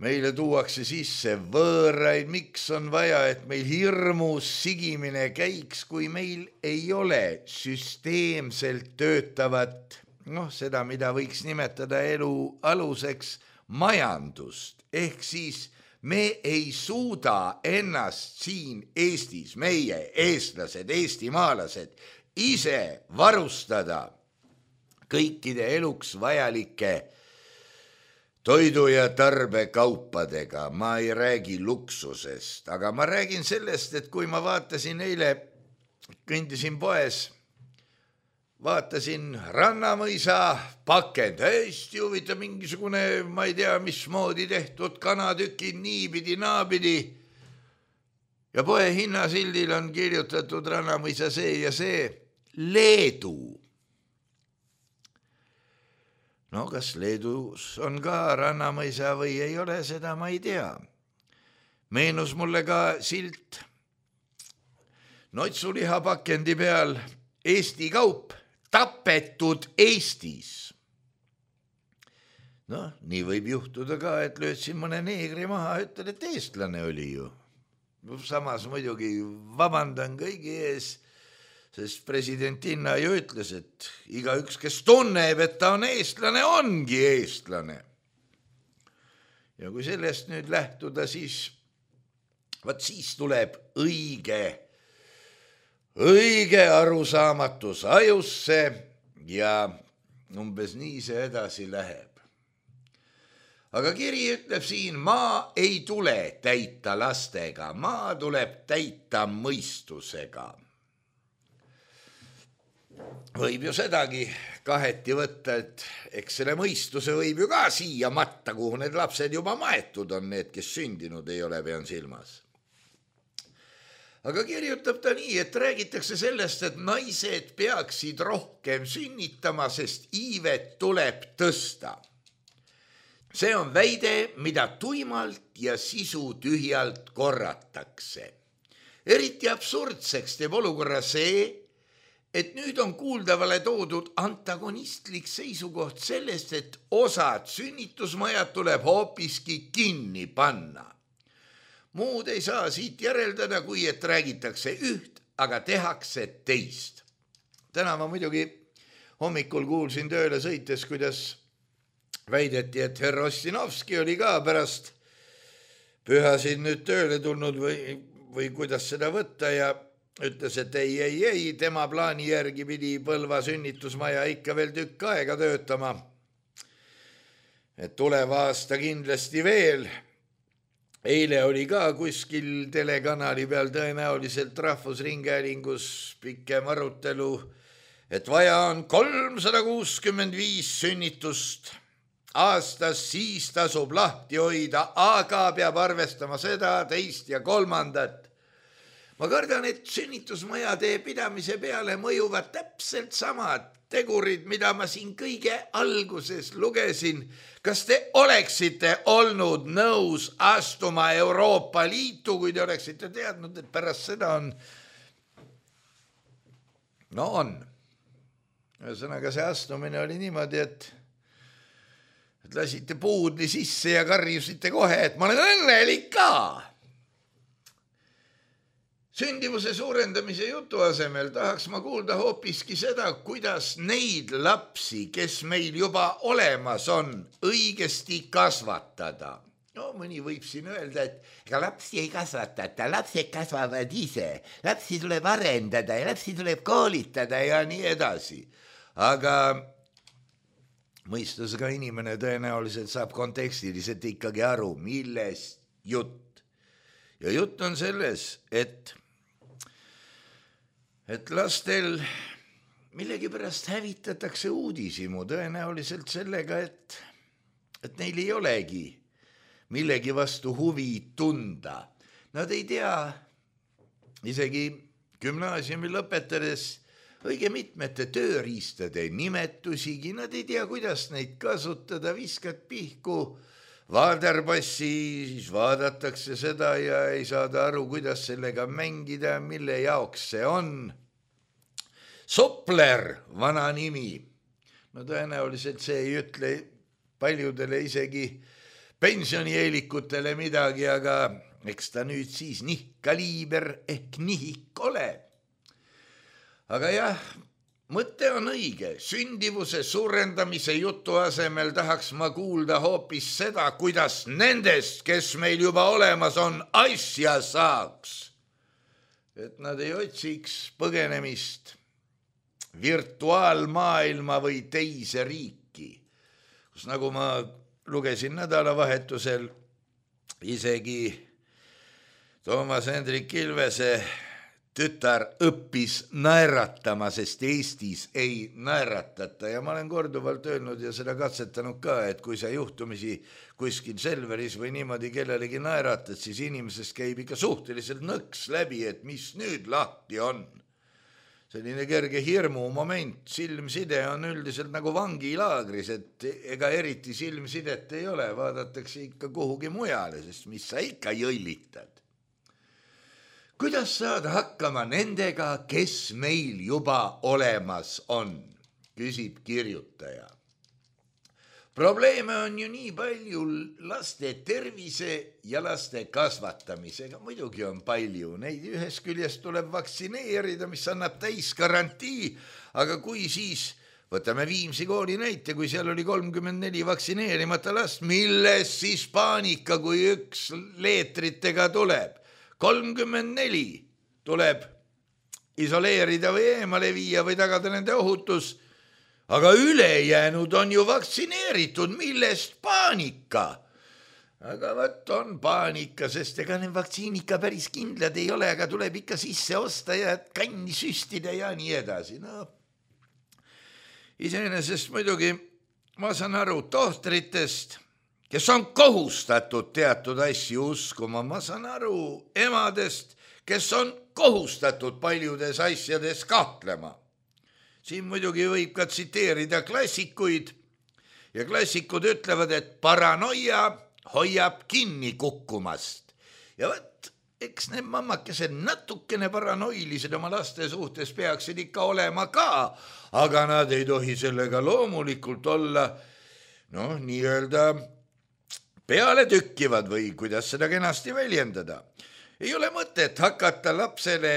meile tuuakse sisse võõraid, miks on vaja, et meil hirmus sigimine käiks, kui meil ei ole süsteemselt töötavat, noh, seda, mida võiks nimetada elu aluseks majandust. Ehk siis me ei suuda ennast siin Eestis, meie eestlased, eestimaalased, ise varustada kõikide eluks vajalike toidu- ja tarbekaupadega. Ma ei räägi luksusest, aga ma räägin sellest, et kui ma vaatasin eile, kõndisin poes, vaatasin Rannamõisa pakend, hästi huvitav mingisugune, ma ei tea, mismoodi tehtud kanatükid niipidi, naapidi. Ja poe hinnasildil on kirjutatud Rannamõisa see ja see Leedu. No kas Leedus on ka Rannamõisa või ei ole, seda ma ei tea. Meenus mulle ka silt notsulihapakendi peal Eesti kaup, tapetud Eestis. Noh, nii võib juhtuda ka, et löödsin mõne neegri maha, ütlen, et eestlane oli ju. Samas muidugi vabandan kõigi ees, sest presidentinna ju ütles, et igaüks, kes tunneb, et ta on eestlane, ongi eestlane. Ja kui sellest nüüd lähtuda, siis, vaat siis tuleb õige õige arusaamatus ajusse ja umbes nii see edasi läheb. Aga kiri ütleb siin, maa ei tule täita lastega, maa tuleb täita mõistusega. võib ju sedagi kaheti võtta, et eks selle mõistuse võib ju ka siia matta, kuhu need lapsed juba maetud on, need, kes sündinud ei ole, pean silmas. Aga kirjutab ta nii, et räägitakse sellest, et naised peaksid rohkem sünnitama, sest iivet tuleb tõsta. See on väide, mida tuimalt ja sisu tühjalt korratakse. Eriti absurdseks teeb olukorra see, et nüüd on kuuldavale toodud antagonistlik seisukoht sellest, et osad sünnitusmajad tuleb hoopiski kinni panna. Muud ei saa siit järeldada, kui et räägitakse üht, aga tehakse teist. Täna ma muidugi hommikul kuulsin tööle sõites, kuidas väideti, et herr Ossinovski oli ka pärast pühasid nüüd tööle tulnud või, või kuidas seda võtta ja ütles, et ei, ei, ei, tema plaani järgi pidi Põlva sünnitusmaja ikka veel tükk aega töötama. Et tuleva aasta kindlasti veel. Eile oli ka kuskil telekanali peal tõenäoliselt Rahvusringhäälingus pikem arutelu, et vaja on kolmsada kuuskümmend viis sünnitust aastas, siis tasub lahti hoida, aga peab arvestama seda, teist ja kolmandat. Ma kardan, et sünnitusmajade pidamise peale mõjuvad täpselt samad tegurid, mida ma siin kõige alguses lugesin. Kas te oleksite olnud nõus astuma Euroopa Liitu, kui te oleksite teadnud, et pärast seda on? No on. Ühesõnaga see astumine oli niimoodi, et, et lasite puudli sisse ja karjusite kohe, et ma olen õnnelik ka. Sündivuse suurendamise jutu asemel tahaks ma kuulda hoopiski seda, kuidas neid lapsi, kes meil juba olemas on, õigesti kasvatada. No mõni võib siin öelda, et ega lapsi ei kasvatata, lapsed kasvavad ise, lapsi tuleb arendada ja lapsi tuleb koolitada ja nii edasi. Aga mõistusega inimene tõenäoliselt saab kontekstiliselt ikkagi aru, millest jutt. Ja jutt on selles, et et lastel millegipärast hävitatakse uudishimu tõenäoliselt sellega, et, et neil ei olegi millegi vastu huvi tunda. Nad ei tea isegi gümnaasiumi lõpetades õige mitmete tööriistade nimetusigi, nad ei tea, kuidas neid kasutada, viskad pihku vaaderpassi, siis vaadatakse seda ja ei saada aru, kuidas sellega mängida, mille jaoks see on. Sopler, vana nimi. No tõenäoliselt see ei ütle paljudele isegi pensionieelikutele midagi, aga eks ta nüüd siis nihkaliiber ehk nihik ole. Aga jah, mõte on õige, sündivuse suurendamise jutu asemel tahaks ma kuulda hoopis seda, kuidas nendest, kes meil juba olemas on, asja saaks. Et nad ei otsiks põgenemist virtuaalmaailma või teise riiki, kus nagu ma lugesin nädalavahetusel isegi Toomas Hendrik Ilvese tütar õppis naeratama, sest Eestis ei naeratata ja ma olen korduvalt öelnud ja seda katsetanud ka, et kui sa juhtumisi kuskil Selveris või niimoodi kellelegi naeratad, siis inimesest käib ikka suhteliselt nõks läbi, et mis nüüd lahti on. Selline kerge hirmu moment, silmside on üldiselt nagu vangilaagris, et ega eriti silmsidet ei ole, vaadatakse ikka kuhugi mujale, sest mis sa ikka jõllitad. Kuidas saada hakkama nendega, kes meil juba olemas on, küsib kirjutaja. Probleeme on ju nii palju laste tervise ja laste kasvatamisega, muidugi on palju, neid ühest küljest tuleb vaktsineerida, mis annab täis garantii, aga kui siis, võtame Viimsi kooli näite, kui seal oli kolmkümmend neli vaktsineerimata last, milles siis paanika, kui üks leetritega tuleb? kolmkümmend neli tuleb isoleerida või eemale viia või tagada nende ohutus, aga ülejäänud on ju vaktsineeritud, millest paanika? Aga võt on paanika, sest ega need vaktsiinika päris kindlad ei ole, aga tuleb ikka sisse osta ja kanni süstida ja nii edasi. No, iseenesest muidugi ma saan aru tohtritest, kes on kohustatud teatud asju uskuma, ma saan aru emadest, kes on kohustatud paljudes asjades kahtlema. Siin muidugi võib ka tsiteerida klassikuid ja klassikud ütlevad, et paranoia hoiab kinni kukkumast. Ja võt, eks need mammakesed natukene paranoilised oma laste suhtes peaksid ikka olema ka, aga nad ei tohi sellega loomulikult olla, noh, nii-öelda peale tükkivad või kuidas seda kenasti väljendada. Ei ole mõtet hakata lapsele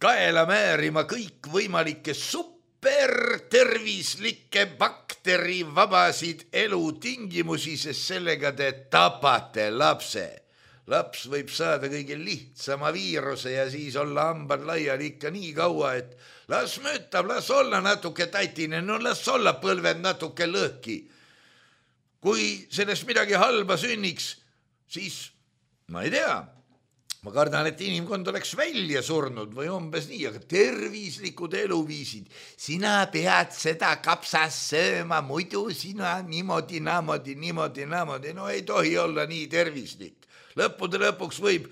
kaela määrima kõik võimalikke supertervislikke bakterivabasid elutingimusi, sest sellega te tapate lapse. Laps võib saada kõige lihtsama viiruse ja siis olla hambad laiali ikka nii kaua, et las möötab, las olla natuke tatine, no las olla põlved natuke lõhki. Kui sellest midagi halba sünniks, siis ma ei tea, ma kardan, et inimkond oleks välja surnud või umbes nii, aga tervislikud eluviisid. Sina pead seda kapsas sööma, muidu sina niimoodi, naamodi, niimoodi, naamodi. No ei tohi olla nii tervislik. Lõppude lõpuks võib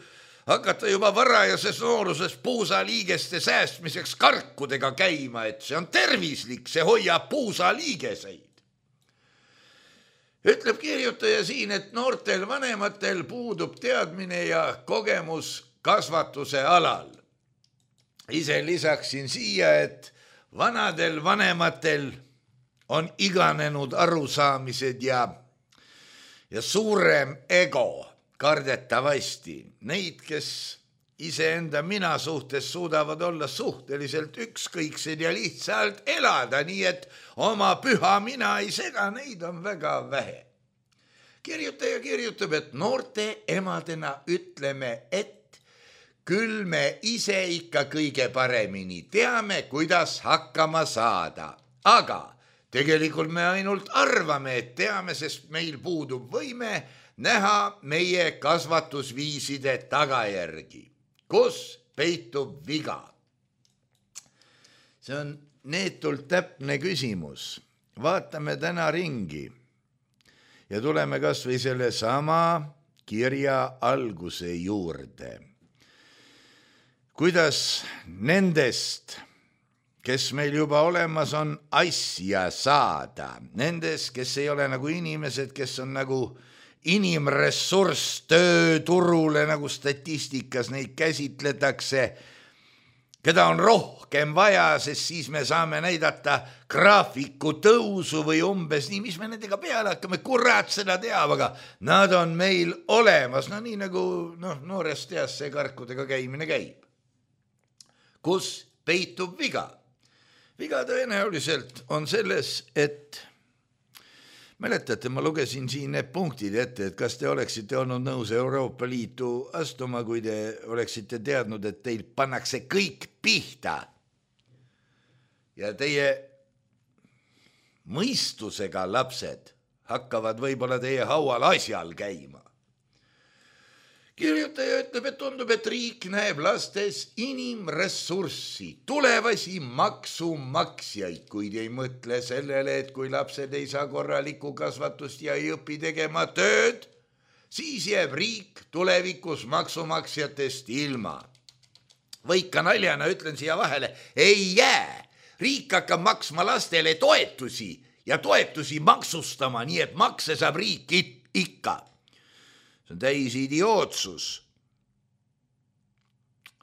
hakata juba varajases nooruses puusaliigeste säästmiseks karkudega käima, et see on tervislik, see hoiab puusaliigeseid. Ütleb kirjutaja siin, et noortel vanematel puudub teadmine ja kogemus kasvatuse alal. Ise lisaksin siia, et vanadel vanematel on iganenud arusaamised ja, ja suurem ego kardetavasti. Neid, kes iseenda mina suhtes suudavad olla suhteliselt ükskõiksed ja lihtsalt elada, nii et oma püha mina ei sega, neid on väga vähe. Kirjutaja kirjutab, et noorte emadena ütleme, et küll me ise ikka kõige paremini teame, kuidas hakkama saada. Aga tegelikult me ainult arvame, et teame, sest meil puudub võime näha meie kasvatusviiside tagajärgi. Kus peitub viga? See on neetult täpne küsimus. Vaatame täna ringi ja tuleme kas või selle sama kirja alguse juurde. Kuidas nendest, kes meil juba olemas on, asja saada? Nendest, kes ei ole nagu inimesed, kes on nagu inimressurss tööturule, nagu statistikas neid käsitletakse, keda on rohkem vaja, sest siis me saame näidata graafiku tõusu või umbes nii, mis me nendega peale hakkame, kurat seda teab, aga nad on meil olemas, no nii nagu no, noorest teas see karkudega käimine käib. Kus peitub viga? Viga tõenäoliselt on selles, et mäletate, ma lugesin siin need punktid ette, et kas te oleksite olnud nõus Euroopa Liitu astuma, kui te oleksite teadnud, et teil pannakse kõik pihta ja teie mõistusega lapsed hakkavad võib-olla teie haual asjal käima. Kirjutaja ütleb, et tundub, et riik näeb lastes inimressurssi, tulevasi maksumaksjaid, kuid ei mõtle sellele, et kui lapsed ei saa korralikku kasvatust ja ei õpi tegema tööd, siis jääb riik tulevikus maksumaksjatest ilma. Või ka naljana ütlen siia vahele, ei jää. Riik hakkab maksma lastele toetusi ja toetusi maksustama, nii et makse saab riik ikka. See on täis idiootsus.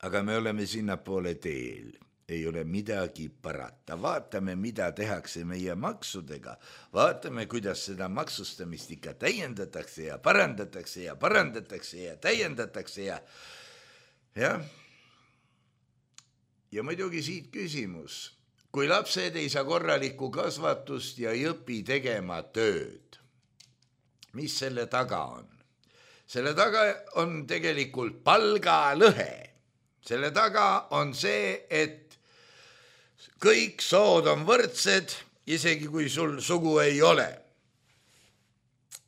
Aga me oleme sinna poole teel. Ei ole midagi parata. Vaatame, mida tehakse meie maksudega. Vaatame, kuidas seda maksustamist ikka täiendatakse ja parandatakse ja parandatakse ja täiendatakse ja... ja... Ja muidugi siit küsimus. Kui lapsed ei saa korralikku kasvatust ja ei õpi tegema tööd, mis selle taga on? Selle taga on tegelikult palgalõhe. Selle taga on see, et kõik sood on võrdsed, isegi kui sul sugu ei ole.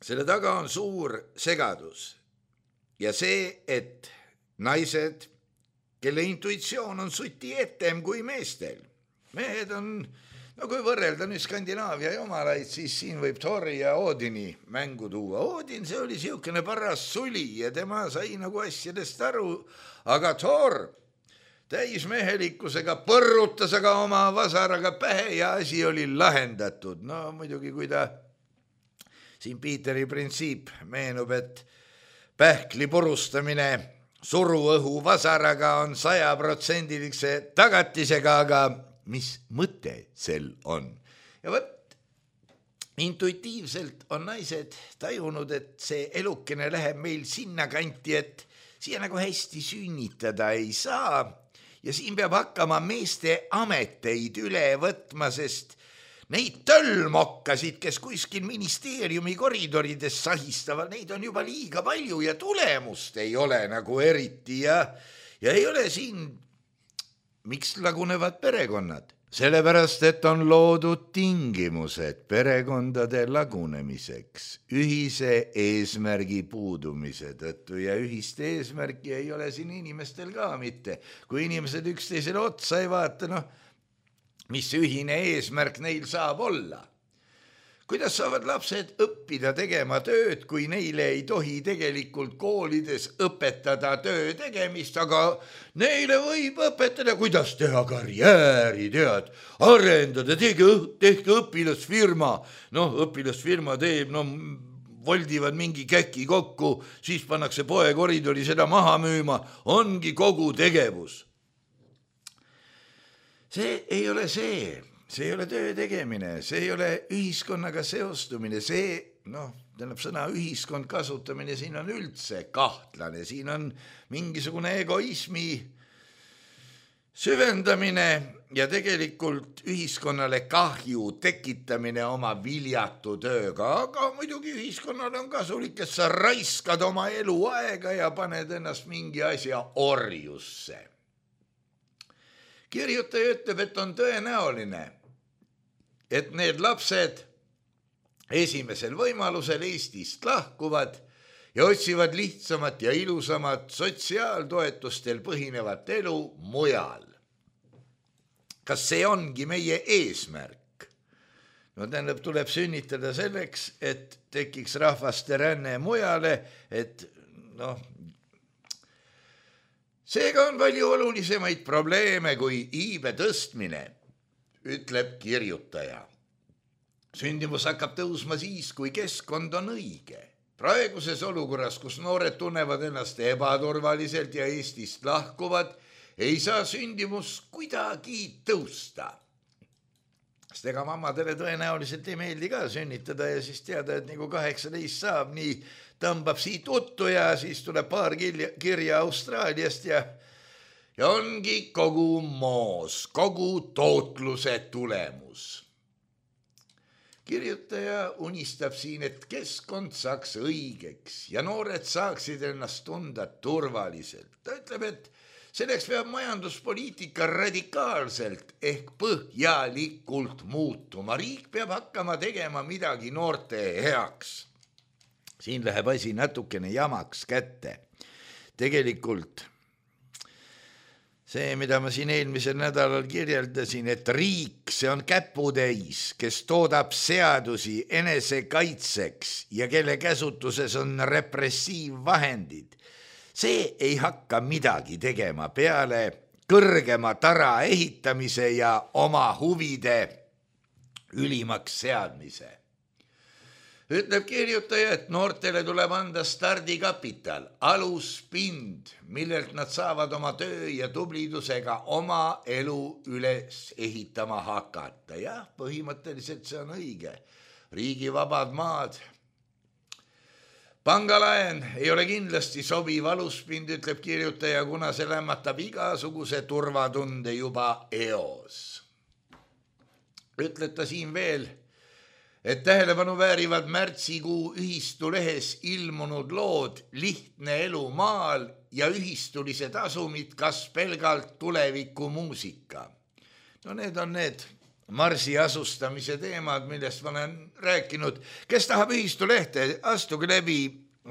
Selle taga on suur segadus. Ja see, et naised, kelle intuitsioon on suti etem kui meestel. Mehed on no kui võrrelda nüüd Skandinaavia jumalaid, siis siin võib Thori ja Odini mängu tuua. Odin, see oli siukene paras suli ja tema sai nagu asjadest aru, aga Thor täismehelikkusega põrrutas aga oma vasaraga pähe ja asi oli lahendatud. No muidugi, kui ta siin Piiteri printsiip meenub, et pähkli purustamine suruõhu vasaraga on sajaprotsendilise tagatisega, aga mis mõte sel on? Ja võt, intuitiivselt on naised tajunud, et see elukene läheb meil sinna kanti, et siia nagu hästi sünnitada ei saa ja siin peab hakkama meeste ameteid üle võtma, sest neid töllmokkasid, kes kuskil ministeeriumi koridorides sahistavad, neid on juba liiga palju ja tulemust ei ole nagu eriti ja, ja ei ole siin. Miks lagunevad perekonnad? Sellepärast, et on loodud tingimused perekondade lagunemiseks, ühise eesmärgi puudumise tõttu ja ühist eesmärki ei ole siin inimestel ka mitte. Kui inimesed üksteisele otsa ei vaata, noh, mis ühine eesmärk neil saab olla? Kuidas saavad lapsed õppida tegema tööd, kui neile ei tohi tegelikult koolides õpetada töö tegemist, aga neile võib õpetada, kuidas teha karjääri, tead, arendada, tehke, tehke õpilasfirma. Noh, õpilasfirma teeb, no voldivad mingi käki kokku, siis pannakse poe koridori seda maha müüma, ongi kogu tegevus. See ei ole see. See ei ole töö tegemine, see ei ole ühiskonnaga seostumine, see, noh, tähendab sõna ühiskond kasutamine, siin on üldse kahtlane, siin on mingisugune egoismi süvendamine ja tegelikult ühiskonnale kahju tekitamine oma viljatu tööga, aga muidugi ühiskonnale on kasulik, et sa raiskad oma elu aega ja paned ennast mingi asja orjusse. Kirjutaja ütleb, et on tõenäoline, et need lapsed esimesel võimalusel Eestist lahkuvad ja otsivad lihtsamat ja ilusamat sotsiaaltoetustel põhinevat elu mujal. Kas see ongi meie eesmärk? No tähendab, tuleb sünnitada selleks, et tekiks rahvaste ränne mujale, et noh, seega on palju olulisemaid probleeme kui iibe tõstmine, ütleb kirjutaja. Sündimus hakkab tõusma siis, kui keskkond on õige. Praeguses olukorras, kus noored tunnevad ennast ebaturvaliselt ja Eestist lahkuvad, ei saa sündimus kuidagi tõusta. Sest ega mammadele tõenäoliselt ei meeldi ka sünnitada ja siis teada, et nagu kaheksateist saab, nii tõmbab siit uttu ja siis tuleb paar kirja Austraaliast ja Ja ongi kogu moos, kogu tootluse tulemus. Kirjutaja unistab siin, et keskkond saaks õigeks ja noored saaksid ennast tunda turvaliselt. Ta ütleb, et selleks peab majanduspoliitika radikaalselt ehk põhjalikult muutuma. Riik peab hakkama tegema midagi noorte heaks. Siin läheb asi natukene jamaks kätte. Tegelikult see, mida ma siin eelmisel nädalal kirjeldasin, et riik, see on käputäis, kes toodab seadusi enesekaitseks ja kelle käsutuses on repressiivvahendid. See ei hakka midagi tegema peale kõrgema tara ehitamise ja oma huvide ülimaks seadmise. Ütleb kirjutaja, et noortele tuleb anda stardikapital, aluspind, millelt nad saavad oma töö ja tublidusega oma elu üles ehitama hakata. Jah, põhimõtteliselt see on õige. Riigi vabad maad. Pangalaen ei ole kindlasti sobiv aluspind, ütleb kirjutaja, kuna see lämmatab igasuguse turvatunde juba eos. Ütleb ta siin veel, et tähelepanu väärivad märtsikuu ühistulehes ilmunud lood Lihtne elu maal ja ühistulised asumid, kas pelgalt tuleviku muusika. No need on need marsi asustamise teemad, millest ma olen rääkinud. Kes tahab ühistulehte, astuge läbi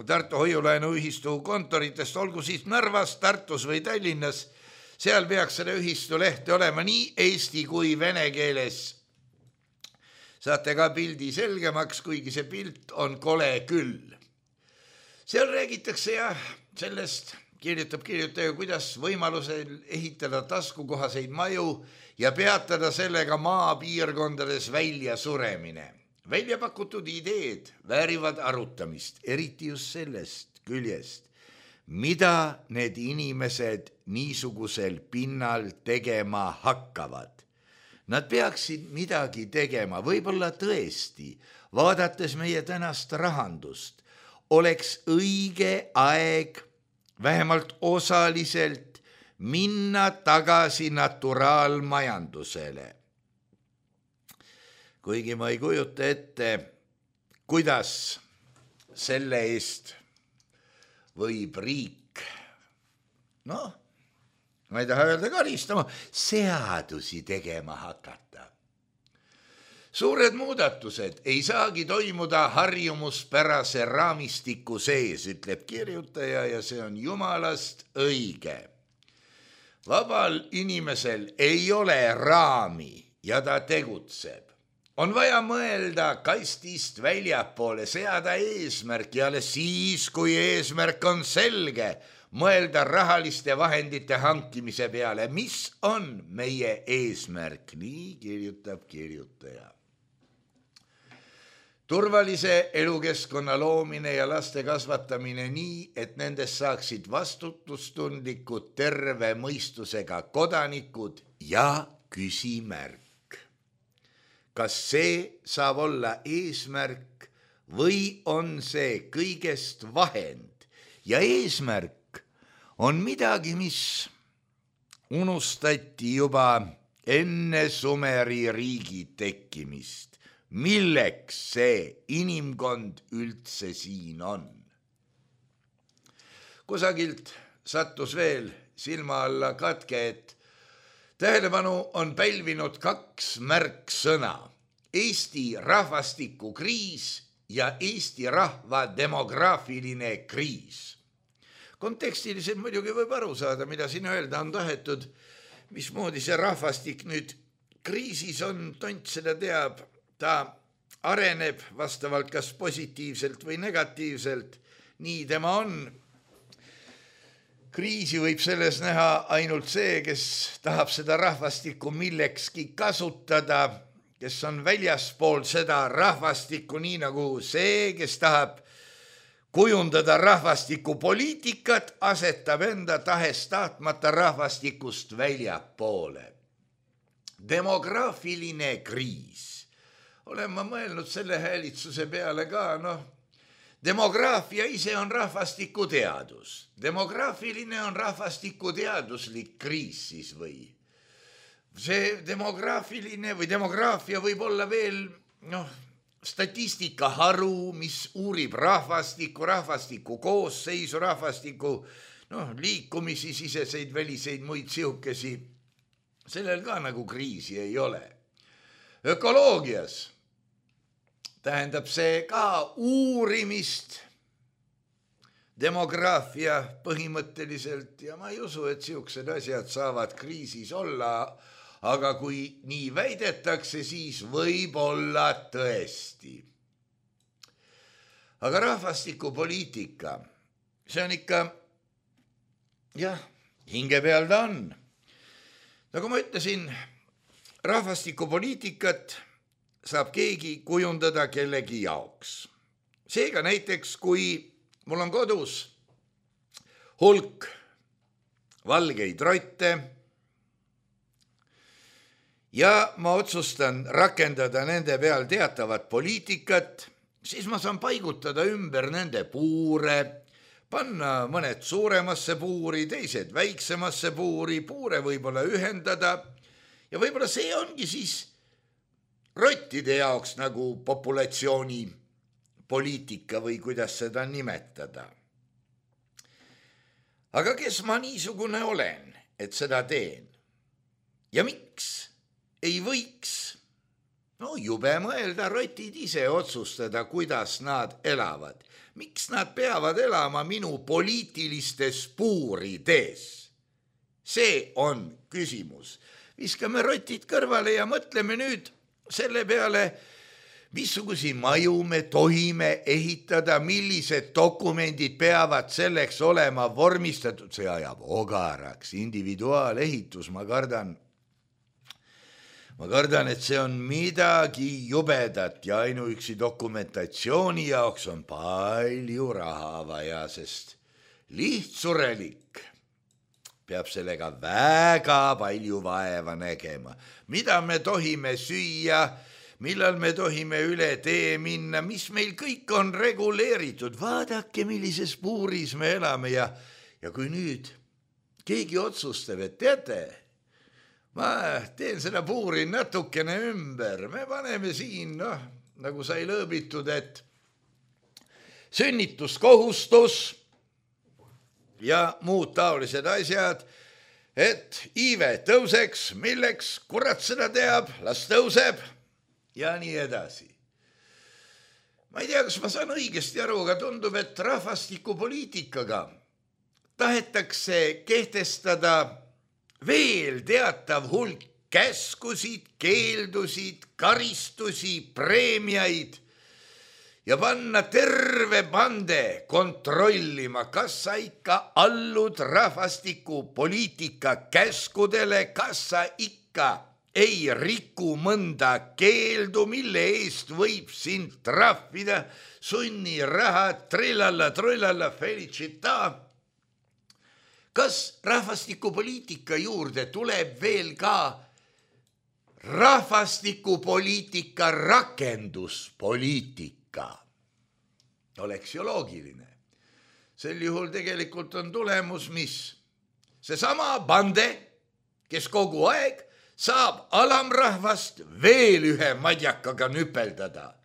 Tartu Hoiulaenu ühistu kontoritest, olgu siis Narvas, Tartus või Tallinnas. Seal peaks selle ühistulehte olema nii eesti kui vene keeles saate ka pildi selgemaks, kuigi see pilt on kole küll. Seal räägitakse jah sellest, kirjutab kirjutaja, kuidas võimalusel ehitada taskukohaseid maju ja peatada sellega maapiirkondades välja suremine. Välja pakutud ideed väärivad arutamist, eriti just sellest küljest, mida need inimesed niisugusel pinnal tegema hakkavad. Nad peaksid midagi tegema, võib-olla tõesti, vaadates meie tänast rahandust, oleks õige aeg vähemalt osaliselt minna tagasi naturaalmajandusele. Kuigi ma ei kujuta ette, kuidas selle eest võib riik, noh, ma ei taha öelda karistama, seadusi tegema hakata. Suured muudatused ei saagi toimuda harjumuspärase raamistiku sees, ütleb kirjutaja, ja see on jumalast õige. Vabal inimesel ei ole raami ja ta tegutseb. On vaja mõelda kastist väljapoole, seada eesmärk ja alles siis, kui eesmärk on selge, mõelda rahaliste vahendite hankimise peale. Mis on meie eesmärk? Nii kirjutab kirjutaja. Turvalise elukeskkonna loomine ja laste kasvatamine nii, et nendest saaksid vastutustundlikud terve mõistusega kodanikud ja küsimärk. Kas see saab olla eesmärk või on see kõigest vahend? Ja eesmärk on midagi, mis unustati juba enne Sumeri riigi tekkimist. Milleks see inimkond üldse siin on? Kusagilt sattus veel silma alla katke, et tähelepanu on pälvinud kaks märksõna. Eesti rahvastikukriis ja Eesti rahva demograafiline kriis. Kontekstiliselt muidugi võib aru saada, mida siin öelda on tahetud, mismoodi see rahvastik nüüd kriisis on, tont seda teab, ta areneb vastavalt kas positiivselt või negatiivselt, nii tema on. Kriisi võib selles näha ainult see, kes tahab seda rahvastikku millekski kasutada, kes on väljaspool seda rahvastikku, nii nagu see, kes tahab kujundada rahvastikupoliitikat, asetab enda tahes tahtmata rahvastikust väljapoole. Demograafiline kriis. Olen ma mõelnud selle häälitsuse peale ka, noh, demograafia ise on rahvastikuteadus. Demograafiline on rahvastikuteaduslik kriis siis või? See demograafiline või demograafia võib olla veel, noh, statistikaharu, mis uurib rahvastiku, rahvastiku koosseisu, rahvastiku, noh, liikumisi, siseseid, väliseid, muid sihukesi. Sellel ka nagu kriisi ei ole. Ökoloogias tähendab see ka uurimist, demograafia põhimõtteliselt, ja ma ei usu, et sihukesed asjad saavad kriisis olla, aga kui nii väidetakse, siis võib olla tõesti. Aga rahvastikupoliitika, see on ikka, jah, hinge peal ta on. Nagu ma ütlesin, rahvastikupoliitikat saab keegi kujundada kellegi jaoks. Seega näiteks, kui mul on kodus hulk valgeid rotte ja ma otsustan rakendada nende peal teatavat poliitikat, siis ma saan paigutada ümber nende puure, panna mõned suuremasse puuri, teised väiksemasse puuri, puure võib-olla ühendada ja võib-olla see ongi siis rottide jaoks nagu populatsiooni poliitika või kuidas seda nimetada. Aga kes ma niisugune olen, et seda teen? Ja miks ei võiks, no jube mõelda, rotid ise otsustada, kuidas nad elavad. Miks nad peavad elama minu poliitilistes puurides? See on küsimus. Viskame rotid kõrvale ja mõtleme nüüd selle peale, missugusi maju me tohime ehitada, millised dokumendid peavad selleks olema vormistatud, see ajab ogaraks, individuaalehitus, ma kardan, ma kardan, et see on midagi jubedat ja ainuüksi dokumentatsiooni jaoks on palju raha vaja, sest lihtsurelik peab sellega väga palju vaeva nägema. Mida me tohime süüa, millal me tohime üle tee minna, mis meil kõik on reguleeritud. Vaadake, millises puuris me elame ja, ja kui nüüd keegi otsustab, et teate, ma teen seda puuri natukene ümber, me paneme siin, noh, nagu sai lõõbitud, et sünnituskohustus ja muud taolised asjad, et iive tõuseks, milleks kurat seda teab, las tõuseb ja nii edasi. Ma ei tea, kas ma saan õigesti aru, aga tundub, et rahvastikupoliitikaga tahetakse kehtestada veel teatav hulk käskusid, keeldusid, karistusi, preemiaid ja panna terve bande kontrollima, kas sa ikka allud rahvastikupoliitika käskudele, kas sa ikka ei riku mõnda keeldu, mille eest võib sind trahvida, sunniraha, trillalla, trullalla, felicita. Kas rahvastikupoliitika juurde tuleb veel ka rahvastikupoliitika rakenduspoliitika? Oleks ju loogiline. Sel juhul tegelikult on tulemus, mis seesama bande, kes kogu aeg saab alamrahvast veel ühe madjakaga nüpeldada.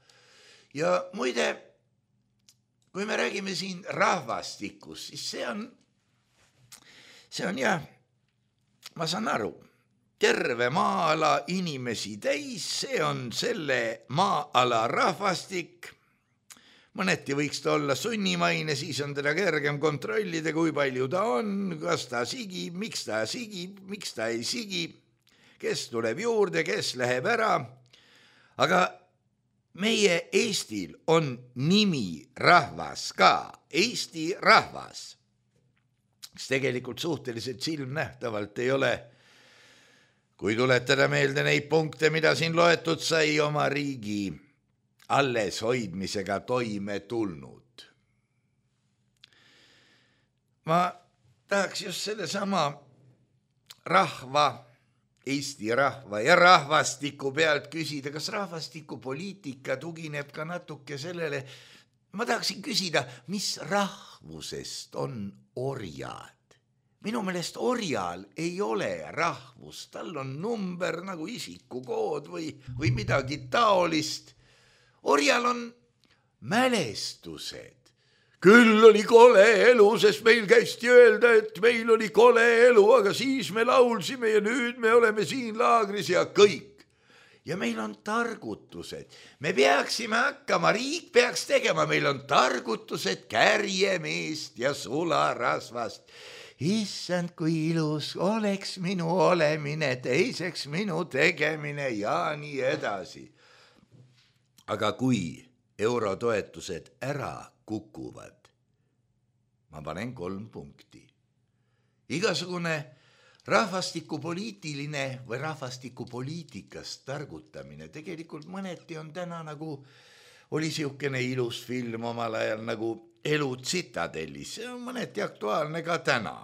Ja muide, kui me räägime siin rahvastikus, siis see on, see on jah, ma saan aru, terve maa-ala inimesi täis, see on selle maa-ala rahvastik. Mõneti võiks ta olla sunnimaine, siis on teda kergem kontrollida, kui palju ta on, kas ta sigib, miks ta sigib, miks ta ei sigi, kes tuleb juurde, kes läheb ära. Aga meie Eestil on nimi rahvas ka, Eesti rahvas, kes tegelikult suhteliselt silmnähtavalt ei ole, kui tuletada meelde neid punkte, mida siin loetud sai, oma riigi alles hoidmisega toime tulnud. Ma tahaks just selle sama rahva, Eesti rahva ja rahvastiku pealt küsida, kas rahvastikupoliitika tugineb ka natuke sellele, ma tahaksin küsida, mis rahvusest on orjad? Minu meelest orjal ei ole rahvust, tal on number nagu isikukood või, või midagi taolist. Orjal on mälestused. Küll oli kole elu, sest meil käisti öelda, et meil oli kole elu, aga siis me laulsime ja nüüd me oleme siin laagris ja kõik. Ja meil on targutused. Me peaksime hakkama, riik peaks tegema, meil on targutused kärjemeest ja sularasvast. Issand, kui ilus oleks minu olemine, teiseks minu tegemine ja nii edasi. Aga kui eurotoetused ära kukuvad, ma panen kolm punkti. Igasugune rahvastikupoliitiline või rahvastikupoliitikast targutamine tegelikult mõneti on täna nagu, oli siukene ilus film omal ajal nagu Elu tsitadellis, see on mõneti aktuaalne ka täna.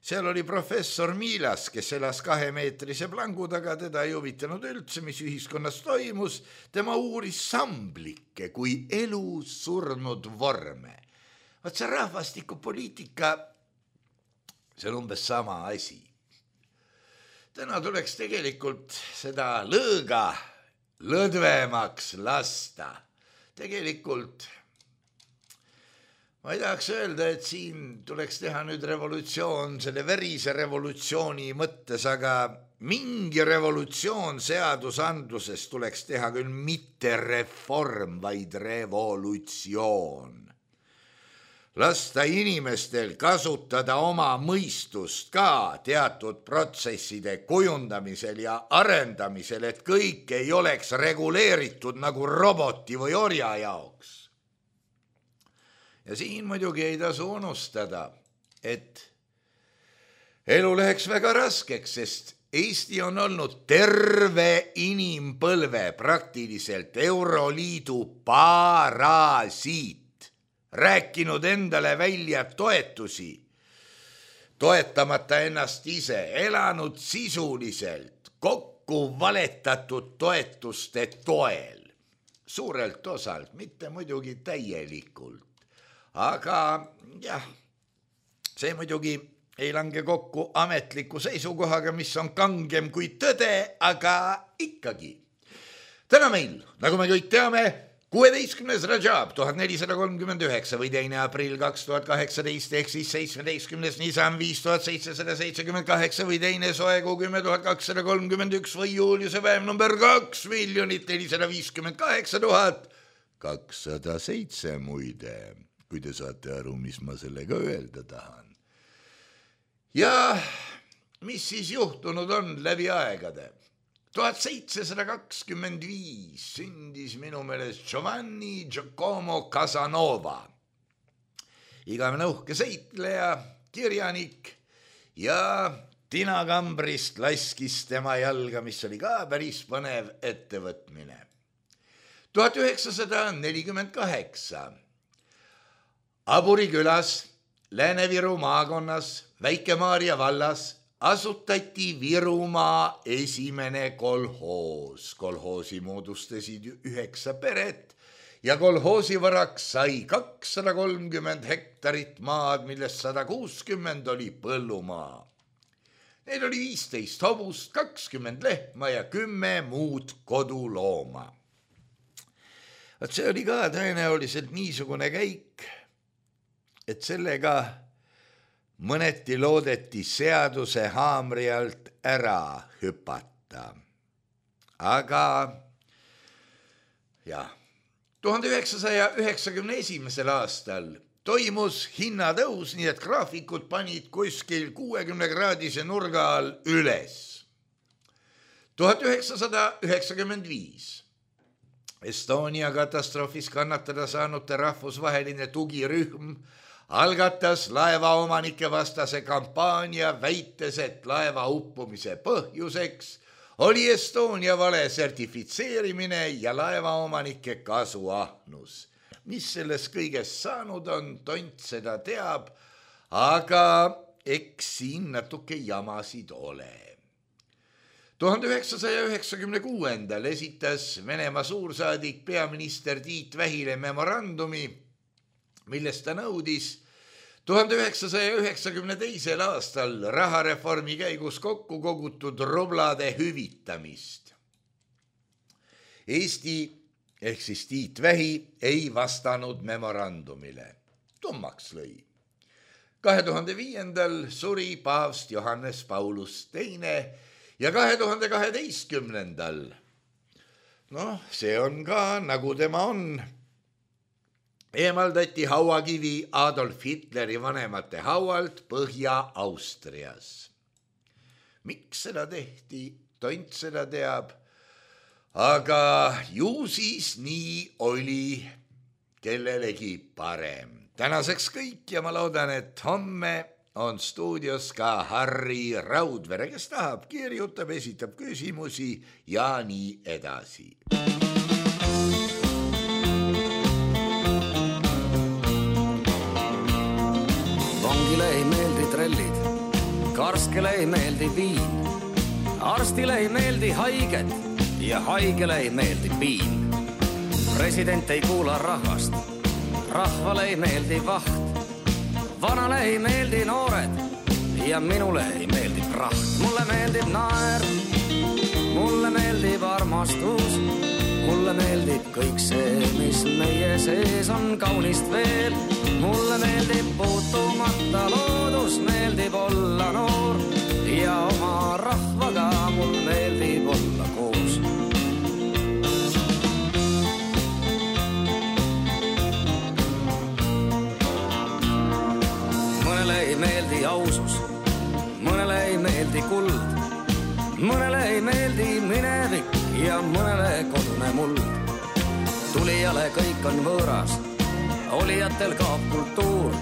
Seal oli professor Miilas, kes elas kahemeetrise plangu taga, teda ei huvitanud üldse, mis ühiskonnas toimus. Tema uuris samblikke kui elu surnud vorme. Vaat see rahvastikupoliitika, see on umbes sama asi. Täna tuleks tegelikult seda lõõga lõdvemaks lasta. Tegelikult ma ei tahaks öelda, et siin tuleks teha nüüd revolutsioon, selle verise revolutsiooni mõttes, aga mingi revolutsioon seadusandluses tuleks teha küll mitte reform, vaid revolutsioon. lasta inimestel kasutada oma mõistust ka teatud protsesside kujundamisel ja arendamisel, et kõik ei oleks reguleeritud nagu roboti või orja jaoks. Ja siin muidugi ei tasu unustada, et elu läheks väga raskeks, sest Eesti on olnud terve inimpõlve praktiliselt Euroliidu parasiit, rääkinud endale välja toetusi, toetamata ennast ise, elanud sisuliselt kokku valetatud toetuste toel, suurelt osalt, mitte muidugi täielikult, aga jah, see muidugi ei lange kokku ametliku seisukohaga, mis on kangem kui tõde, aga ikkagi. Täna meil, nagu me kõik teame, kuueteistkümnes Rajab tuhat nelisada kolmkümmend üheksa või teine aprill kaks tuhat kaheksateist ehk siis seitsmeteistkümnes Nisan viis tuhat seitsesada seitsekümmend kaheksa või teine soekuu kümme tuhat kakssada kolmkümmend üks või juuliuse päev number kaks miljonit nelisada viiskümmend kaheksa tuhat kakssada seitse muide, kui te saate aru, mis ma sellega öelda tahan. Ja mis siis juhtunud on läbi aegade? tuhat seitsesada kakskümmend viis sündis minu meelest Giovanni Giacomo Casanova, igavene uhke seitleja, kirjanik ja tinakambrist laskis tema jalga, mis oli ka päris põnev ettevõtmine. tuhat üheksasada nelikümmend kaheksa Aburi külas Lääne-Viru maakonnas Väike-Maarja vallas asutati Virumaa esimene kolhoos. Kolhoosi moodustasid üheksa peret ja kolhoosi varaks sai kakssada kolmkümmend hektarit maad, millest sada kuuskümmend oli põllumaa. Neil oli viisteist hobust, kakskümmend lehma ja kümme muud kodulooma. Vaat see oli ka tõenäoliselt niisugune käik, et sellega mõneti loodeti seaduse haamri alt ära hüpata. Aga jah, tuhande üheksasaja üheksakümne esimesel aastal toimus hinnatõus, nii et graafikud panid kuskil kuuekümne kraadise nurga all üles. tuhat üheksasada üheksakümmend viis Estonia katastroofis kannatada saanute rahvusvaheline tugirühm algatas laevaomanike vastase kampaania, väites, et laeva uppumise põhjuseks oli Estonia vale sertifitseerimine ja laevaomanike kasuahnus. Mis selles kõigest saanud on, tont seda teab, aga eks siin natuke jamasid ole. tuhande üheksasaja üheksakümne kuuendal esitas Venemaa suursaadik peaminister Tiit Vähile memorandumi, millest ta nõudis tuhande üheksasaja üheksakümne teisel aastal rahareformi käigus kokku kogutud rublade hüvitamist. Eesti ehk siis Tiit Vähi ei vastanud memorandumile. Tummaks lõi. kahe tuhande viiendal suri paavst Johannes Paulus teine ja kahe tuhande kaheteistkümnendal, noh, see on ka nagu tema on, eemaldati hauakivi Adolf Hitleri vanemate haualt Põhja-Austrias. Miks seda tehti, tont seda teab, aga ju siis nii oli kellelegi parem. Tänaseks kõik ja ma loodan, et homme on stuudios ka Harri Raudvere, kes tahab, kirjutab, esitab küsimusi ja nii edasi. Vangile ei meeldi trellid, karskele ei meeldi viin, arstile ei meeldi haiged ja haigele ei meeldi piin. President ei kuula rahvast, rahvale ei meeldi vaht, vanale ei meeldi noored ja minule ei meeldi praht. Mulle meeldib naer, mulle meeldib armastus, mulle meeldib kõik see, mis meie sees on kaunist veel. Mulle meeldib puutumata loodus, meeldib olla noor ja oma rahvaga mul meeldib olla koos. luusus. Mõnele ei meeldi kuld, mõnele ei meeldi minevik ja mõnele kodune muld. Tulijale kõik on võõras, olijatel kaob kultuur,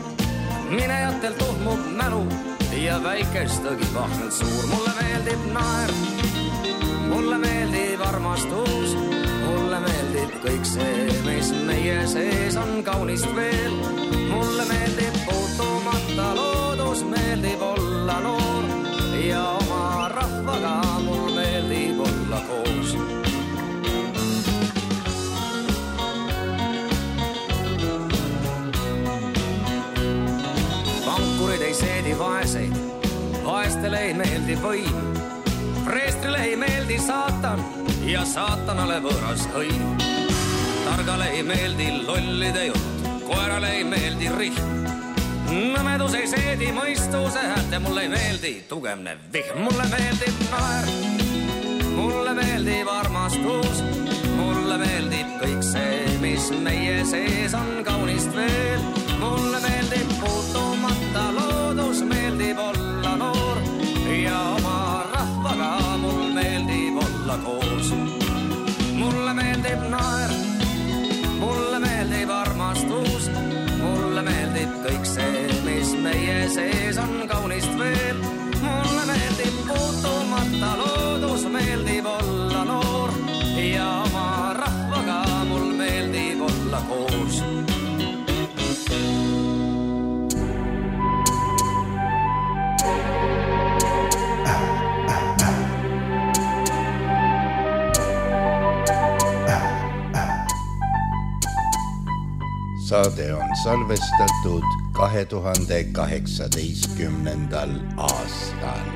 minejatel tohmub mälu ja väikestagi vahvelt suur. Mulle meeldib naer, mulle meeldib armastus, mulle meeldib kõik see, mis meie sees on kaunist veel. Mulle meeldib puutumata loodus, meeldib olla noor ja oma rahvaga mul meeldib olla koos. Pankurid ei seedi vaeseid, vaestele ei meeldi võim, preestrile ei meeldi saatan ja saatanale võõras hõim. Targale ei meeldi lollide jutt, koerale ei meeldi rihm. Nõmedus ei seedi mõistuse häälte, mulle ei meeldi tugevne vihm. Mulle meeldib naer, mulle meeldib armastus, mulle meeldib kõik see, mis meie sees on kaunist veel. Mulle meeldib puutumata loodus, meeldib olla noor ja oma rahvaga mul meeldib olla koos. Mulle meeldib naer, mulle meeldib armastus, mulle meeldib kõik see, mis meie sees on kaunist veel. Mulle meeldib puutumata loodus, meeldib olla noor ja oma rahvaga mul meeldib olla koos. Saade on salvestatud kahe tuhande kaheksateistkümnendal aastal.